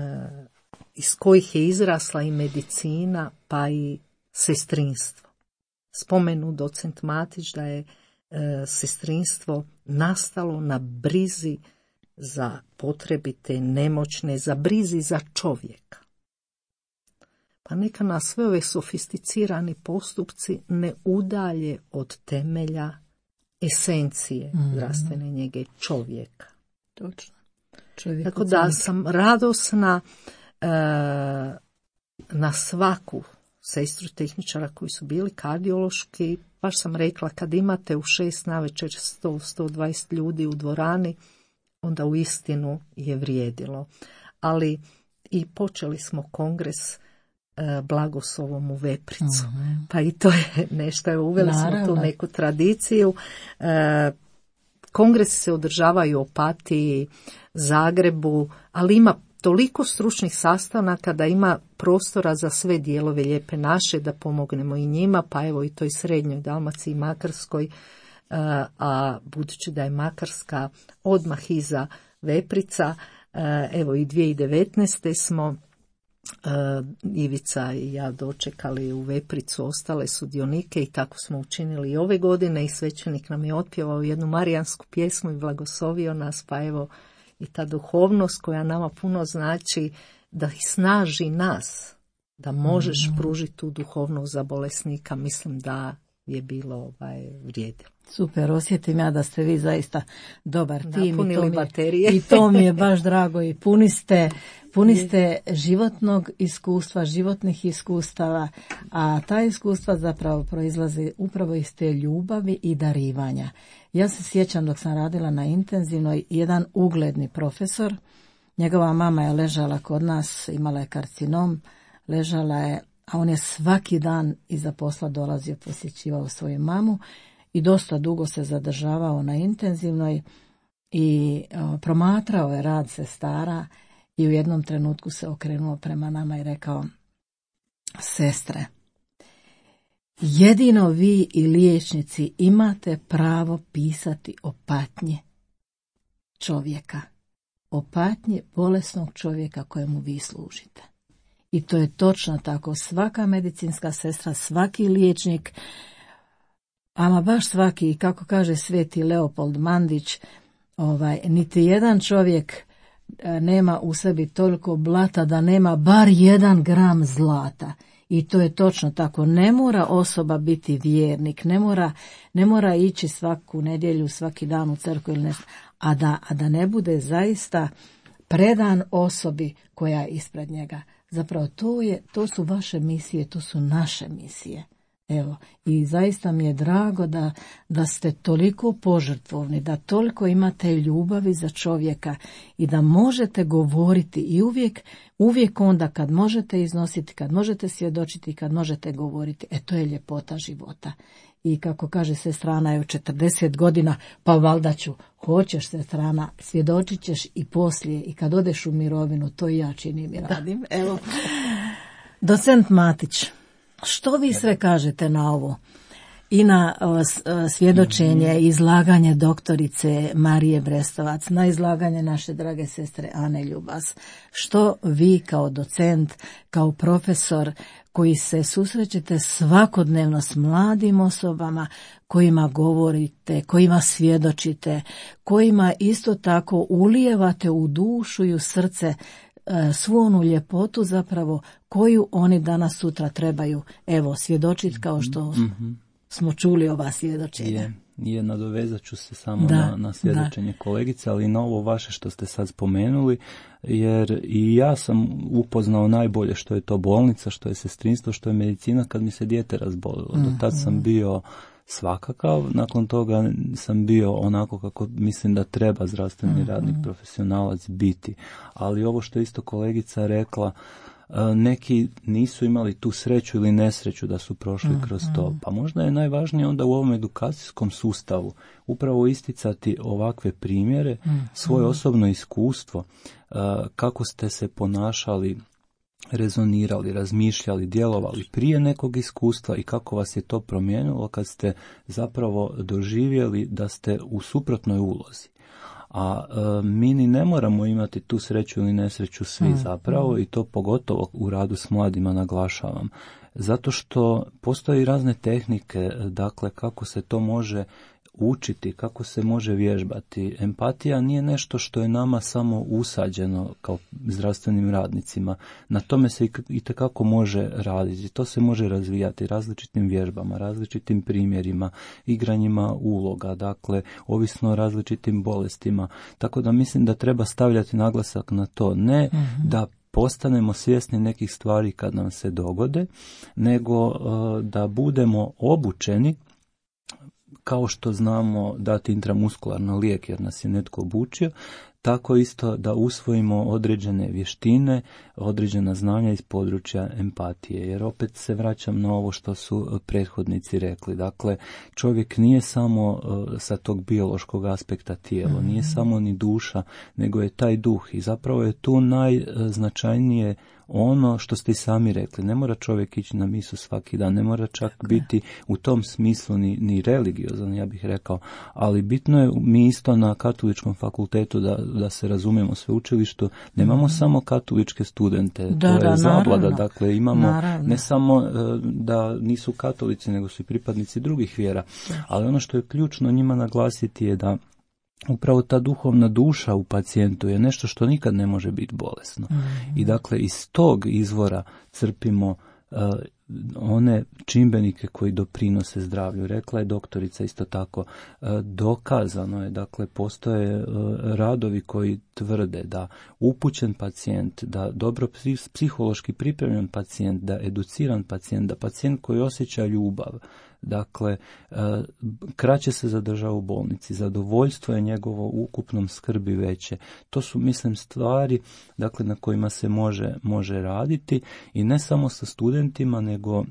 iz kojih je izrasla i medicina, pa i sestrinstvo. Spomenu docent Matić da je e, sestrinstvo nastalo na brizi za potrebite, nemoćne, za brizi za čovjeka. Pa neka nas sve ove sofisticirani postupci ne udalje od temelja esencije mm-hmm. zdravstvene njege čovjeka. Točno. Tako da sam radosna e, na svaku sestru tehničara koji su bili kardiološki. Baš sam rekla, kad imate u šest navečer sto do sto dvadeset ljudi u dvorani, onda u istinu je vrijedilo. Ali i počeli smo kongres e, blagoslovom u Vepricu. Mm-hmm. Pa i to je nešto, je uveli Naravno. smo tu neku tradiciju. E, kongresi se održavaju u Opatiji, Zagrebu, ali ima toliko stručnih sastanaka da ima prostora za sve dijelove Lijepe naše, da pomognemo i njima, pa evo i toj srednjoj Dalmaciji, Makarskoj, a budući da je Makarska odmah iza Veprica, evo i dvije tisuće devetnaeste smo Ivica i ja dočekali u Vepricu ostale sudionike i tako smo učinili i ove godine i svećenik nam je otpjevao jednu marijansku pjesmu i blagoslovio nas, pa evo i ta duhovnost koja nama puno znači da ih snaži nas, da možeš mm-hmm. pružiti tu duhovnost za bolesnika, mislim da je bilo ovaj, vrijedilo. Super, osjetim ja da ste vi zaista dobar tim i to, mi baterije. je, i to mi je baš drago i puni ste, puni ste životnog iskustva, životnih iskustava, a ta iskustva zapravo proizlaze upravo iz te ljubavi i darivanja. Ja se sjećam dok sam radila na intenzivnoj, jedan ugledni profesor, njegova mama je ležala kod nas, imala je karcinom, ležala je, a on je svaki dan iza posla dolazio, posjećivao svoju mamu i dosta dugo se zadržavao na intenzivnoj i o, promatrao je rad sestara i u jednom trenutku se okrenuo prema nama i rekao: sestre, jedino vi i liječnici imate pravo pisati o patnji čovjeka, o patnji bolesnog čovjeka kojemu vi služite. I to je točno tako. Svaka medicinska sestra, svaki liječnik, ama baš svaki, kako kaže sveti Leopold Mandić, ovaj, niti jedan čovjek nema u sebi toliko blata da nema bar jedan gram zlata. I to je točno tako. Ne mora osoba biti vjernik, ne mora, ne mora ići svaku nedjelju, svaki dan u crkvu ili nešto, a da, a da ne bude zaista predan osobi koja je ispred njega. Zapravo to, je, to su vaše misije, to su naše misije. Evo, i zaista mi je drago da, da ste toliko požrtvovni, da toliko imate ljubavi za čovjeka i da možete govoriti i uvijek, uvijek onda kad možete iznositi, kad možete svjedočiti, kad možete govoriti, e to je ljepota života. I kako kaže sestrana je u četrdeset godina, pa valjda ću, hoćeš sestrana, svjedočit ćeš i poslije i kad odeš u mirovinu, to i ja činim i radim. Evo, docent Matić, što vi sve kažete na ovo? I na o, svjedočenje, izlaganje doktorice Marije Brestovac, na izlaganje naše drage sestre Ane Ljubas. Što vi kao docent, kao profesor koji se susrećete svakodnevno s mladim osobama, kojima govorite, kojima svjedočite, kojima isto tako ulijevate u dušu i u srce svu onu ljepotu zapravo koju oni danas sutra trebaju, evo, svjedočiti kao što mm-hmm. smo čuli ova svjedočenja. Je, je, nadovezat ću se samo da, na, na svjedočenje da. kolegice, ali na ovo vaše što ste sad spomenuli, jer i ja sam upoznao najbolje što je to bolnica, što je sestrinstvo, što je medicina kad mi se dijete razbolilo. Mm-hmm. Do tad sam bio svakakav, nakon toga sam bio onako kako mislim da treba zdravstveni mm-hmm. radnik, profesionalac biti. Ali ovo što je isto kolegica rekla, neki nisu imali tu sreću ili nesreću da su prošli mm-hmm. kroz to. Pa možda je najvažnije onda u ovom edukacijskom sustavu upravo isticati ovakve primjere, mm-hmm. svoje osobno iskustvo, kako ste se ponašali, rezonirali, razmišljali, djelovali prije nekog iskustva i kako vas je to promijenilo kad ste zapravo doživjeli da ste u suprotnoj ulozi. A e, mi ni ne moramo imati tu sreću ili nesreću svi mm. zapravo i to pogotovo u radu s mladima naglašavam. Zato što postoje razne tehnike, dakle kako se to može učiti, kako se može vježbati. Empatija nije nešto što je nama samo usađeno kao zdravstvenim radnicima. Na tome se itekako može raditi. To se može razvijati različitim vježbama, različitim primjerima, igranjima uloga, dakle, ovisno o različitim bolestima. Tako da mislim da treba stavljati naglasak na to. Ne mm-hmm. da postanemo svjesni nekih stvari kad nam se dogode, nego da budemo obučeni, kao što znamo dati intramuskularno lijek jer nas je netko obučio, tako isto da usvojimo određene vještine, određena znanja iz područja empatije. Jer opet se vraćam na ovo što su prethodnici rekli. Dakle, čovjek nije samo sa tog biološkog aspekta tijelo, nije samo ni duša, nego je taj duh. I zapravo je tu najznačajnije ono što ste i sami rekli. Ne mora čovjek ići na misu svaki dan, ne mora čak biti u tom smislu ni, ni religiozan, ja bih rekao, ali bitno je, mi isto na katoličkom fakultetu, da, da se razumijemo, sveučilištu, nemamo mm. samo katoličke studente, da, to je da, zablada, naravno. dakle imamo naravno. ne samo da nisu katolici, nego su i pripadnici drugih vjera, ali ono što je ključno njima naglasiti je da upravo ta duhovna duša u pacijentu je nešto što nikad ne može biti bolesno. Mm. I dakle iz tog izvora crpimo uh, one čimbenike koji doprinose zdravlju. Rekla je doktorica isto tako, uh, dokazano je, dakle postoje uh, radovi koji tvrde da upućen pacijent, da dobro psihološki pripremljen pacijent, da educiran pacijent, da pacijent koji osjeća ljubav, dakle, kraće se zadržava u bolnici, zadovoljstvo je njegovo u ukupnom skrbi veće. To su, mislim, stvari, dakle, na kojima se može, može raditi i ne samo sa studentima, nego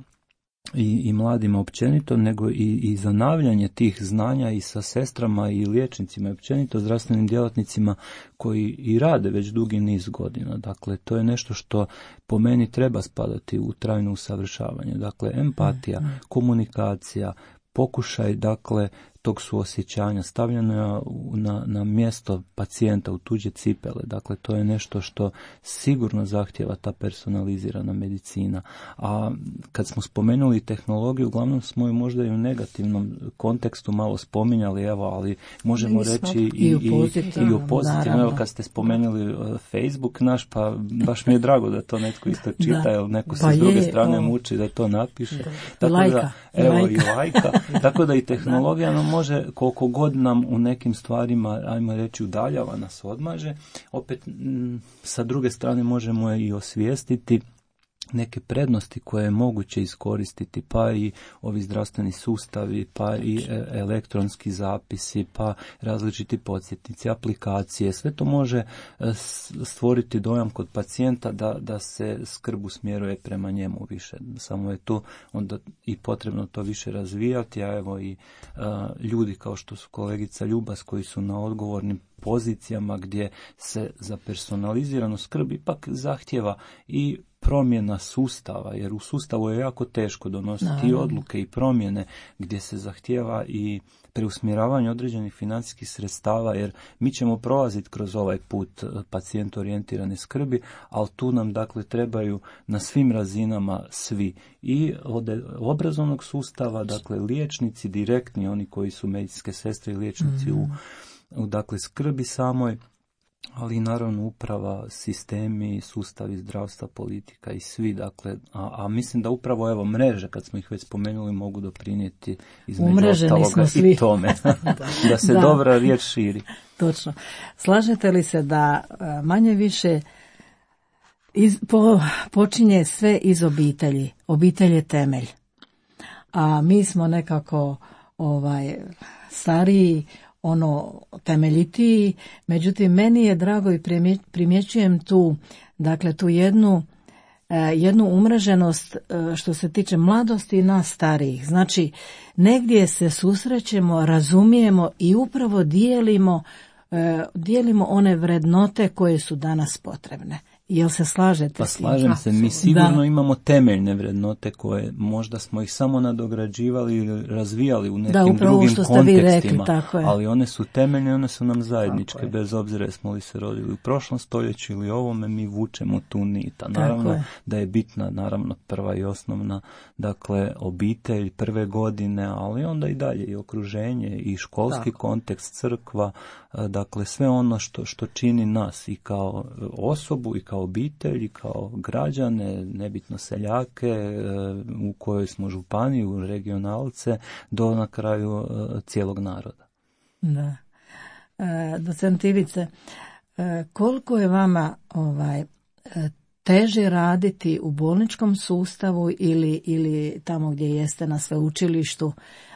i, i mladima općenito, nego i, i zanavljanje tih znanja i sa sestrama i liječnicima i općenito zdravstvenim djelatnicima koji i rade već dugi niz godina. Dakle, to je nešto što po meni treba spadati u trajno usavršavanje. Dakle, empatija, komunikacija, pokušaj, dakle, tog suosjećanja, stavljeno na, na mjesto pacijenta u tuđe cipele. Dakle, to je nešto što sigurno zahtjeva ta personalizirana medicina. A kad smo spomenuli tehnologiju, uglavnom smo ju možda i u negativnom kontekstu malo spominjali, evo, ali možemo Nismo. reći i, I u i, pozitivnom, i u pozitivnom. Evo, kad ste spomenuli Facebook naš, pa baš mi je drago da to netko isto čita, jer neko se pa s druge je, strane o. muči da to napiše. Da. Tako Lajka. da, evo, Lajka. i lajka. Tako da i tehnologija nam može, koliko god nam u nekim stvarima, ajmo reći, udaljava nas, odmaže, opet m, sa druge strane možemo je i osvijestiti neke prednosti koje je moguće iskoristiti, pa i ovi zdravstveni sustavi, pa i elektronski zapisi, pa različiti podsjetnici, aplikacije, sve to može stvoriti dojam kod pacijenta da, da se skrb usmjeruje prema njemu više. Samo je tu onda i potrebno to više razvijati, a evo i a, ljudi kao što su kolegica Ljubas koji su na odgovornim pozicijama gdje se za personaliziranu skrb ipak zahtjeva i promjena sustava, jer u sustavu je jako teško donositi i odluke i promjene gdje se zahtjeva i preusmjeravanje određenih financijskih sredstava, jer mi ćemo prolaziti kroz ovaj put pacijent orijentirane skrbi, ali tu nam dakle trebaju na svim razinama svi, i od obrazovnog sustava, dakle liječnici direktni, oni koji su medicinske sestre i liječnici mm. u, u dakle skrbi samoj, ali naravno uprava, sistemi, sustavi zdravstva, politika i svi, dakle, a, a mislim da upravo evo mreže, kad smo ih već spomenuli, mogu doprinijeti između ostaloga i tome, da se da. dobra riječ širi. Točno. Slažete li se da manje više iz, po, počinje sve iz obitelji? Obitelj je temelj. A mi smo nekako ovaj stariji, ono temeljitiji, međutim meni je drago i primjećujem tu, dakle tu jednu, jednu umreženost što se tiče mladosti i nas starijih. Znači negdje se susrećemo, razumijemo i upravo dijelimo, dijelimo one vrednote koje su danas potrebne. Jel se slažete? Pa slažem se, mi sigurno da. imamo temeljne vrednote koje možda smo ih samo nadograđivali ili razvijali u nekim da, drugim kontekstima, rekli, ali one su temeljne, one su nam zajedničke, bez obzira jesmo li se rodili u prošlom stoljeću ili ovome, mi vučemo tu nit. Naravno je. da je bitna, naravno prva i osnovna, dakle obitelj, prve godine, ali onda i dalje i okruženje i školski Tako. kontekst, crkva, dakle sve ono što, što čini nas i kao osobu i kao obitelji, kao građane, nebitno seljake, u kojoj smo županiju, regionalce, do na kraju cijelog naroda. Da. E, docent Ivice, e, koliko je vama ovaj, teže raditi u bolničkom sustavu ili, ili tamo gdje jeste na sveučilištu?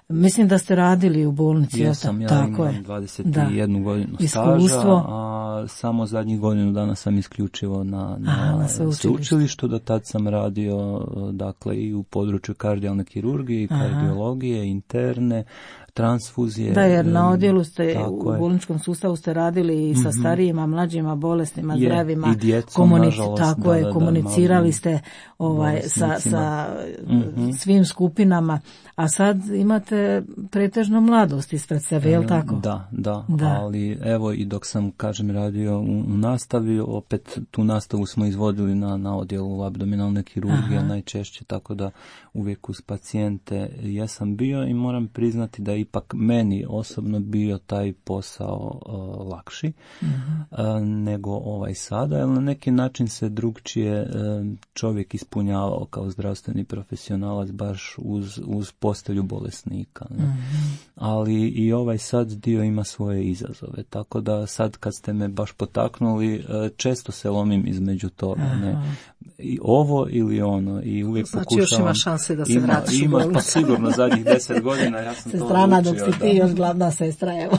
Mislim da ste radili u bolnici. Jesam, ja tako imam je. dvadeset jednu da. godinu Iskustvo. staža, a samo zadnjih godinu dana sam isključivo na, na, Aha, na sveučilištu. Do tad sam radio dakle i u području kardijalne kirurgije, Aha. kardiologije, interne, transfuzije. Da, jer na odjelu ste, u je. bolničkom sustavu ste radili i sa mm-hmm. starijima, mlađima, bolesnima, je, zdravima. I djecom, komunic- nažalost. Tako da, je, da, da, komunicirali ste ovaj, sa, sa mm-hmm. svim skupinama, a sad imate pretežno mladost ispred sebe, je li tako? Da, da, da, ali evo i dok sam, kažem, radio u, u nastavi, opet tu nastavu smo izvodili na, na odjelu abdominalne kirurgije Aha. najčešće, tako da uvijek uz pacijente jesam bio i moram priznati da ipak meni osobno bio taj posao uh, lakši uh-huh. uh, nego ovaj sada, jer na neki način se drugčije uh, čovjek ispunjavao kao zdravstveni profesionalac baš uz, uz postelju bolesnika. Uh-huh. Ali i ovaj sad dio ima svoje izazove, tako da sad kad ste me baš potaknuli, uh, često se lomim između toga, uh-huh. ne? I ovo ili ono, i uvijek znači, pokušavam... Znači još ima šanse da se ima, vratiš u bolnicu. Ima, pa sigurno zadnjih deset godina ja sam to Strana odlučio. dok si ti još glavna sestra, evo.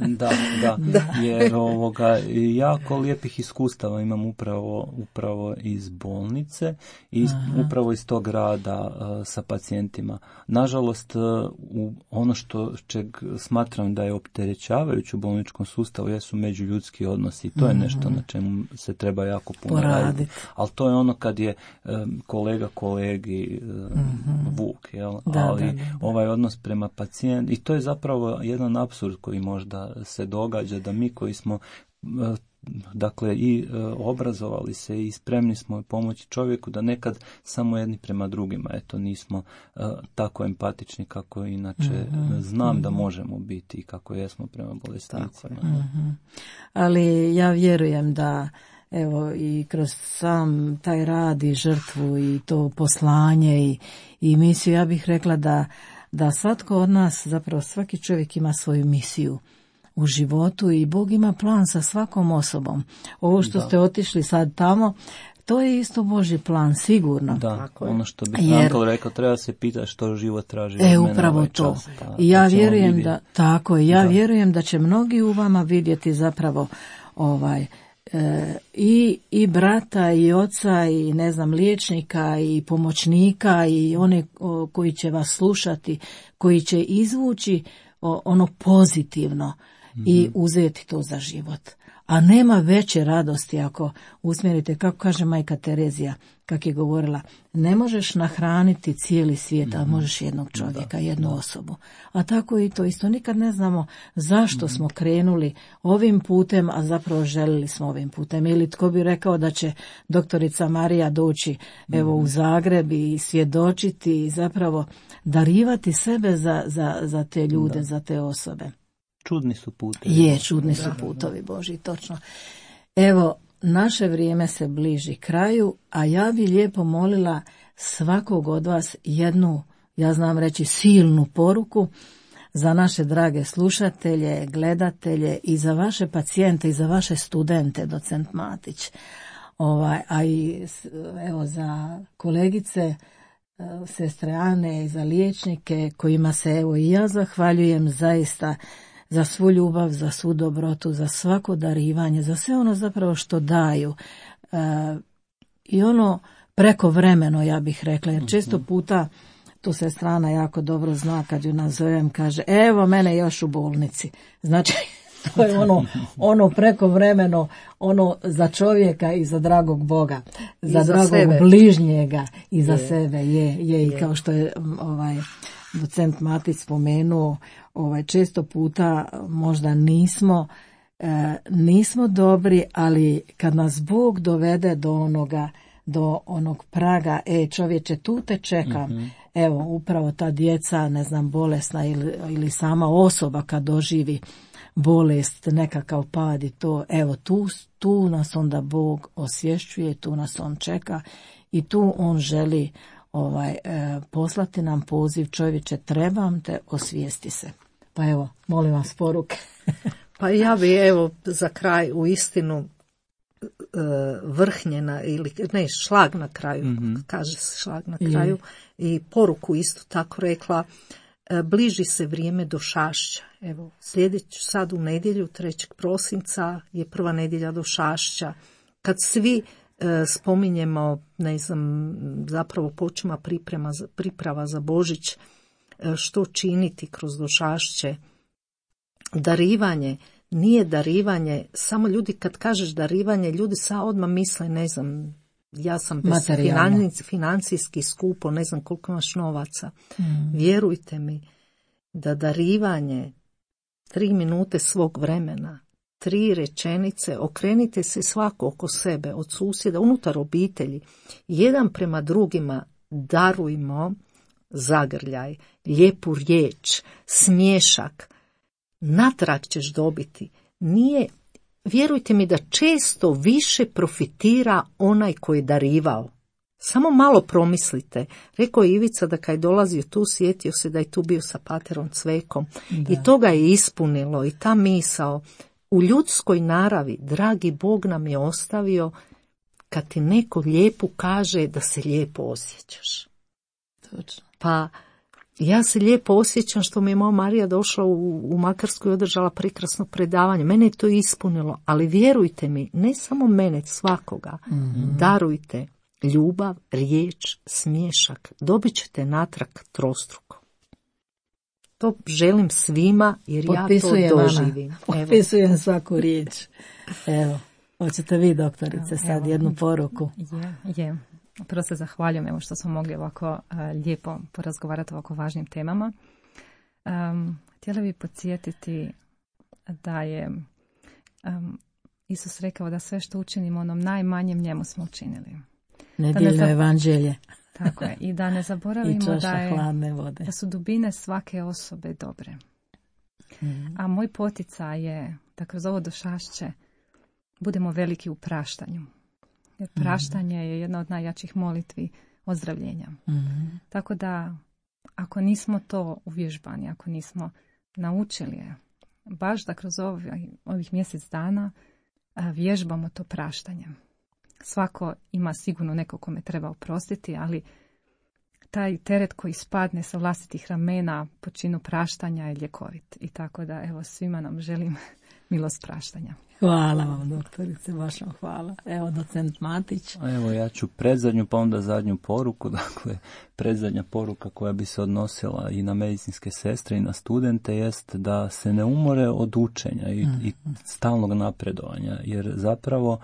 da, da, da, jer ovoga, jako lijepih iskustava imam upravo, upravo iz bolnice i iz, upravo iz tog rada uh, sa pacijentima. Nažalost, uh, u ono što čeg smatram da je opterećavajuće u bolničkom sustavu jesu međuljudski odnosi i to je nešto na čemu se treba jako puno raditi. Ali to je ono kad je um, kolega kolegi um, mm-hmm. vuk, jel? Da, ali da, da, da. ovaj odnos prema pacijentu, i to je zapravo jedan apsurd koji možda se događa, da mi koji smo dakle i obrazovali se i spremni smo pomoći čovjeku, da nekad samo jedni prema drugima, eto nismo uh, tako empatični kako inače mm-hmm. znam mm-hmm. da možemo biti i kako jesmo prema bolesnicima. Mm-hmm. Ali ja vjerujem da evo i kroz sam taj rad i žrtvu i to poslanje i, i misiju, ja bih rekla da, da svatko od nas, zapravo svaki čovjek ima svoju misiju u životu i Bog ima plan sa svakom osobom. Ovo što da. ste otišli sad tamo, to je isto Božji plan, sigurno. Da, tako ono što bi Jer, Frankl rekao, treba se pitati što život traži od e, mene upravo ovaj to. čas. Pa, I ja to vjerujem da, tako je, ja da. vjerujem da će mnogi u vama vidjeti zapravo ovaj E, i, i brata i oca i ne znam liječnika i pomoćnika i one o, koji će vas slušati, koji će izvući o, ono pozitivno mm-hmm. i uzeti to za život. A nema veće radosti ako usmjerite, kako kaže majka Terezija, kak je govorila, ne možeš nahraniti cijeli svijet, a možeš jednog čovjeka, jednu osobu. A tako i to isto. Nikad ne znamo zašto smo krenuli ovim putem, a zapravo želili smo ovim putem. Ili tko bi rekao da će doktorica Marija doći evo u Zagreb i svjedočiti i zapravo darivati sebe za, za, za te ljude, da. za te osobe. Čudni su putovi. Je, čudni su putovi Božji, točno. Evo, naše vrijeme se bliži kraju, a ja bi lijepo molila svakog od vas jednu, ja znam reći, silnu poruku za naše drage slušatelje, gledatelje i za vaše pacijente i za vaše studente, docent Matić. Ovaj, a i evo za kolegice, sestre Ane i za liječnike kojima se evo i ja zahvaljujem zaista za svu ljubav, za svu dobrotu, za svako darivanje, za sve ono zapravo što daju. E, I ono prekovremeno, ja bih rekla, jer često puta, tu se strana jako dobro zna kad ju nazovem, kaže, evo mene još u bolnici. Znači, to je ono, ono prekovremeno, ono za čovjeka i za dragog Boga, za, za dragog sebe. Bližnjega i za je. sebe, je, je, je. I kao što je ovaj docent Matić spomenuo, ovaj, često puta možda nismo, e, nismo dobri, ali kad nas Bog dovede do onoga, do onog praga, e čovječe, tu te čekam, mm-hmm. evo upravo ta djeca, ne znam, bolesna ili, ili sama osoba kad doživi bolest, nekakav pad i to, evo tu, tu nas onda Bog osvješćuje, tu nas on čeka i tu on želi ovaj e, poslati nam poziv, čovječe, trebam te, osvijesti se. Pa evo, molim vas poruke. Pa ja bi evo za kraj u istinu vrhnjena ili ne, šlag na kraju, mm-hmm. kaže se šlag na kraju, mm. i poruku isto tako rekla, bliži se vrijeme došašća. Evo, sljedeću sad u nedjelju, trećeg prosinca je prva nedjelja došašća. Kad svi e, spominjemo, ne znam, zapravo počima priprema, priprava za Božić, e, što činiti kroz došašće, darivanje, nije darivanje, samo ljudi kad kažeš darivanje, ljudi sad odmah misle, ne znam, ja sam bez financi, financijski skupo, ne znam koliko imaš novaca. Mm. Vjerujte mi da darivanje tri minute svog vremena, tri rečenice, okrenite se svako oko sebe, od susjeda, unutar obitelji, jedan prema drugima darujmo zagrljaj, lijepu riječ, smiješak, natrag ćeš dobiti. Nije, vjerujte mi da često više profitira onaj koji je darivao. Samo malo promislite. Rekao je Ivica da kad je dolazio tu, sjetio se da je tu bio sa paterom Cvekom. Da. I to ga je ispunilo. I ta misao u ljudskoj naravi, dragi Bog nam je ostavio kad ti neko lijepo kaže da se lijepo osjećaš. Točno. Pa ja se lijepo osjećam što mi je moja Marija došla u, u Makarsku i održala prekrasno predavanje. Mene je to ispunilo, ali vjerujte mi, ne samo mene, svakoga, mm-hmm. darujte ljubav, riječ, smiješak. Dobit ćete natrag trostruko. To želim svima jer Potpisujem ja to doživim. Potpisujem svaku riječ. Evo, hoćete vi, doktorice, sad evo, jednu poruku? Je, je. Prvo se zahvaljujem evo što smo mogli ovako uh, lijepo porazgovarati o ovako važnim temama. Um, htjela bih podsjetiti da je um, Isus rekao da sve što učinimo onom najmanjem njemu smo učinili. Nedjeljno ne evanđelje. Tako je. I da ne zaboravimo da, je, hladne vode. da su dubine svake osobe dobre. Mm. A moj poticaj je da kroz ovo došašće budemo veliki u praštanju. Jer praštanje mm. je jedna od najjačih molitvi ozdravljenja. Mm. Tako da ako nismo to uvježbani, ako nismo naučili je, baš da kroz ovih, ovih mjesec dana vježbamo to praštanje. Svako ima sigurno neko kome treba oprostiti, ali taj teret koji spadne sa vlastitih ramena po činu praštanja je ljekovit. I tako da, evo, svima nam želim milost praštanja. Hvala vam, doktorice, baš vam hvala. Evo, docent Matić. Evo, ja ću predzadnju, pa onda zadnju poruku. Dakle, predzadnja poruka koja bi se odnosila i na medicinske sestre i na studente jest da se ne umore od učenja i, mm. i stalnog napredovanja, jer zapravo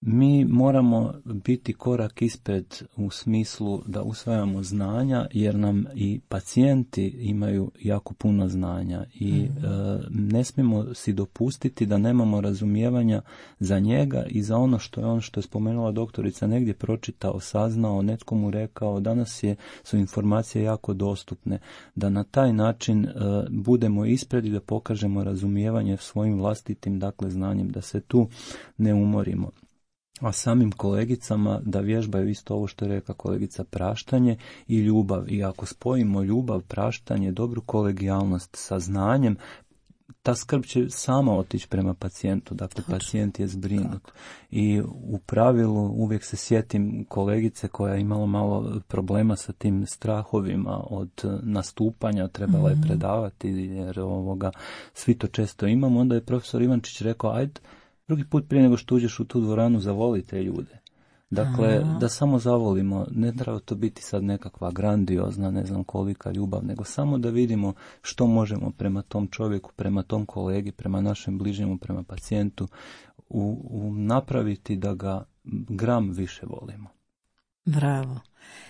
mi moramo biti korak ispred u smislu da usvajamo znanja, jer nam i pacijenti imaju jako puno znanja i mm. e, ne smijemo si dopustiti da nemamo razumijevanja za njega i za ono što je on, što je spomenula doktorica, negdje pročitao, saznao, netko mu rekao. Danas je, su informacije jako dostupne, da na taj način e, budemo ispred i da pokažemo razumijevanje svojim vlastitim, dakle, znanjem, da se tu ne umorimo. A samim kolegicama da vježbaju isto ovo što je rekla kolegica, praštanje i ljubav. I ako spojimo ljubav, praštanje, dobru kolegijalnost sa znanjem, ta skrb će sama otići prema pacijentu. Dakle, pacijent je zbrinut. I u pravilu uvijek se sjetim kolegice koja je imala malo problema sa tim strahovima od nastupanja, trebala je predavati jer ovoga, svi to često imamo. Onda je profesor Ivančić rekao, ajde, drugi put prije nego što uđeš u tu dvoranu, zavoli te ljude. Dakle, Aha. da samo zavolimo, ne treba to biti sad nekakva grandiozna, ne znam kolika ljubav, nego samo da vidimo što možemo prema tom čovjeku, prema tom kolegi, prema našem bližnjemu, prema pacijentu, u, u napraviti da ga gram više volimo. Bravo.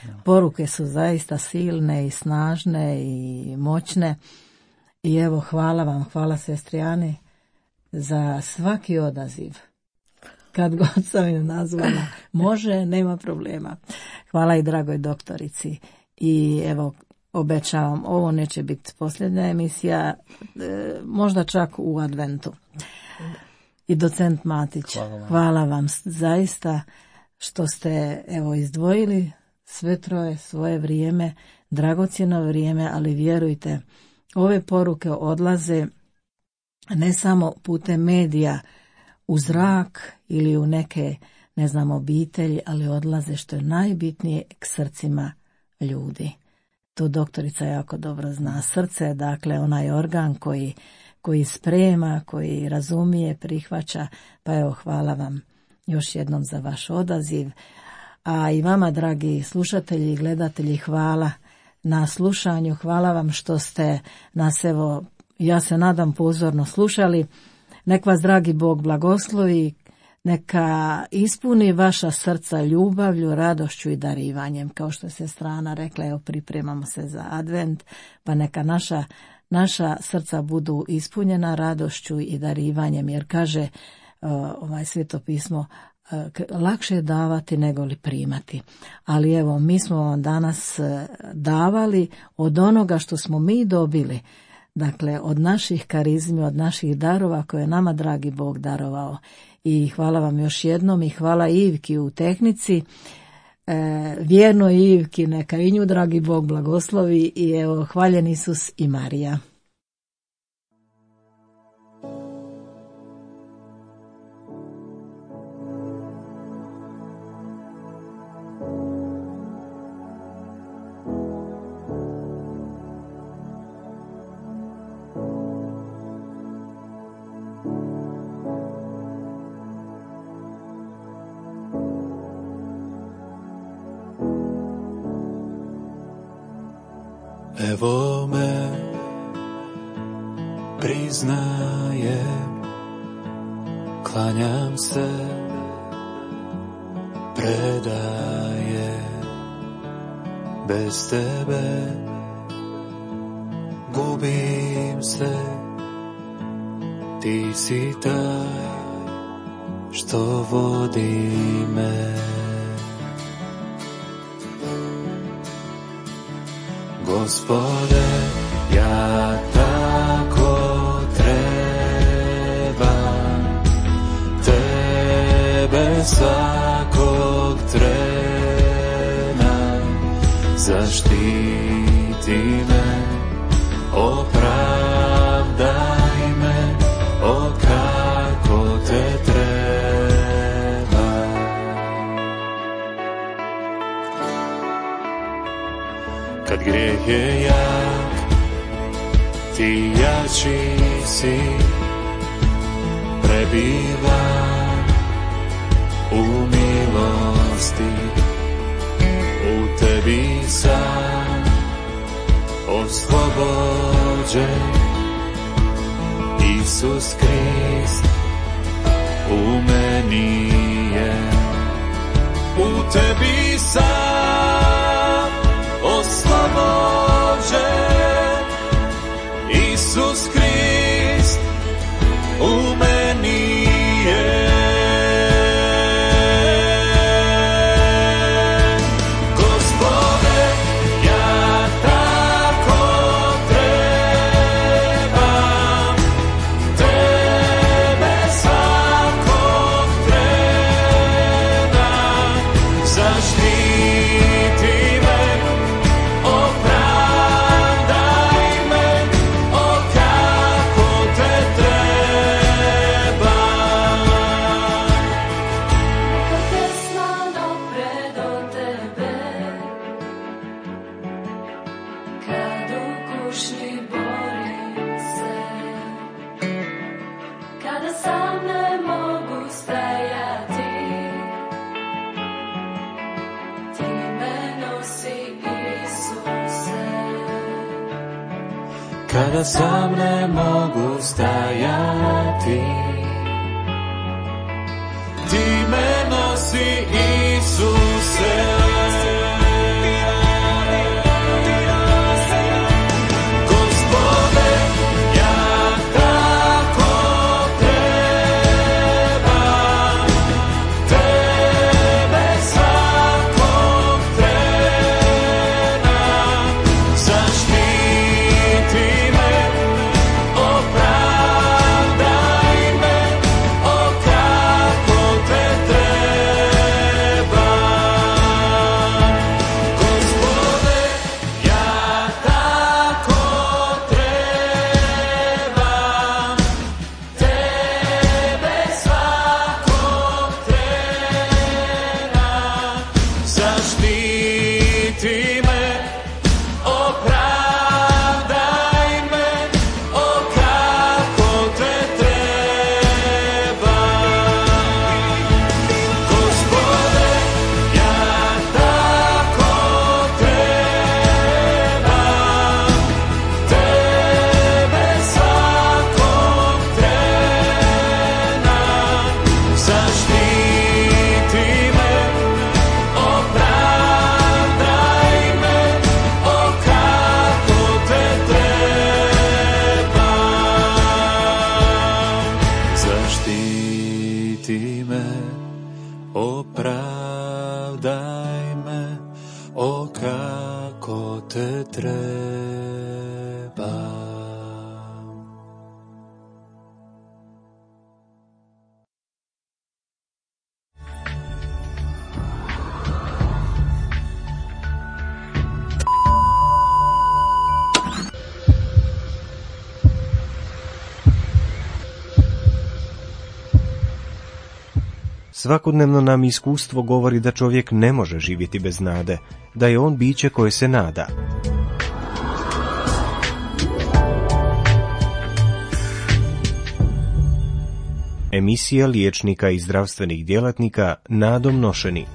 Ja. Poruke su zaista silne i snažne i moćne. I evo, hvala vam, hvala sestri Ani za svaki odaziv. Kad god sam ju nazvala, može, nema problema. Hvala i dragoj doktorici. I evo, obećavam, ovo neće biti posljednja emisija, e, možda čak u adventu. I docent Matić, hvala vam. hvala vam zaista što ste evo izdvojili sve troje svoje vrijeme, dragocjeno vrijeme, ali vjerujte, ove poruke odlaze ne samo putem medija u zrak ili u neke, ne znam, obitelji, ali odlaze, što je najbitnije, k srcima ljudi. To doktorica jako dobro zna. Srce je, dakle, onaj organ koji, koji sprema, koji razumije, prihvaća, pa evo, hvala vam još jednom za vaš odaziv. A i vama, dragi slušatelji i gledatelji, hvala na slušanju, hvala vam što ste nas, evo, ja se nadam, pozorno slušali. Nek vas, dragi Bog, blagoslovi, neka ispuni vaša srca ljubavlju, radošću i darivanjem. Kao što se strana rekla, evo, pripremamo se za advent, pa neka naša, naša srca budu ispunjena radošću i darivanjem, jer kaže ovaj Sveto pismo, lakše je davati nego li primati. Ali evo, mi smo vam danas davali od onoga što smo mi dobili, dakle od naših karizmi, od naših darova koje je nama dragi Bog darovao. I hvala vam još jednom i hvala Ivki u tehnici, e, vjernoj Ivki, neka i nju dragi Bog blagoslovi i evo, hvaljen Isus i Marija. Evo me, priznajem, klanjam se, predajem, bez tebe gubim se, ti si taj što vodi me. Gospode, ja tako trebam tebe svakog trena, zaštiti me, opravdaj me, o kako te treba. Kad grijeh je jak, ti jači si, prebivam u milosti, u tebi sam oslobođen. Isus Krist u meni je, u tebi sam oslobođen. Isus Krist u meni je. Gospode, ja tako trebam tebe svakog trena, zaštiti me, opravdaj me, o kako te trebam. Neka pesma dopre do tebe, kad u kušnji borim se, kada sam ne mogu stajati, ti me nosi, Isuse. Kada sam ne mogu stajati, ti me nosi, Isuse. Gospode, ja tako trebam tebe svakog trena, zaštiti me, opravdaj me, o kako te trebam. Svakodnevno nam iskustvo govori da čovjek ne može živjeti bez nade, da je on biće koje se nada. Emisija liječnika i zdravstvenih djelatnika nadom nošeni.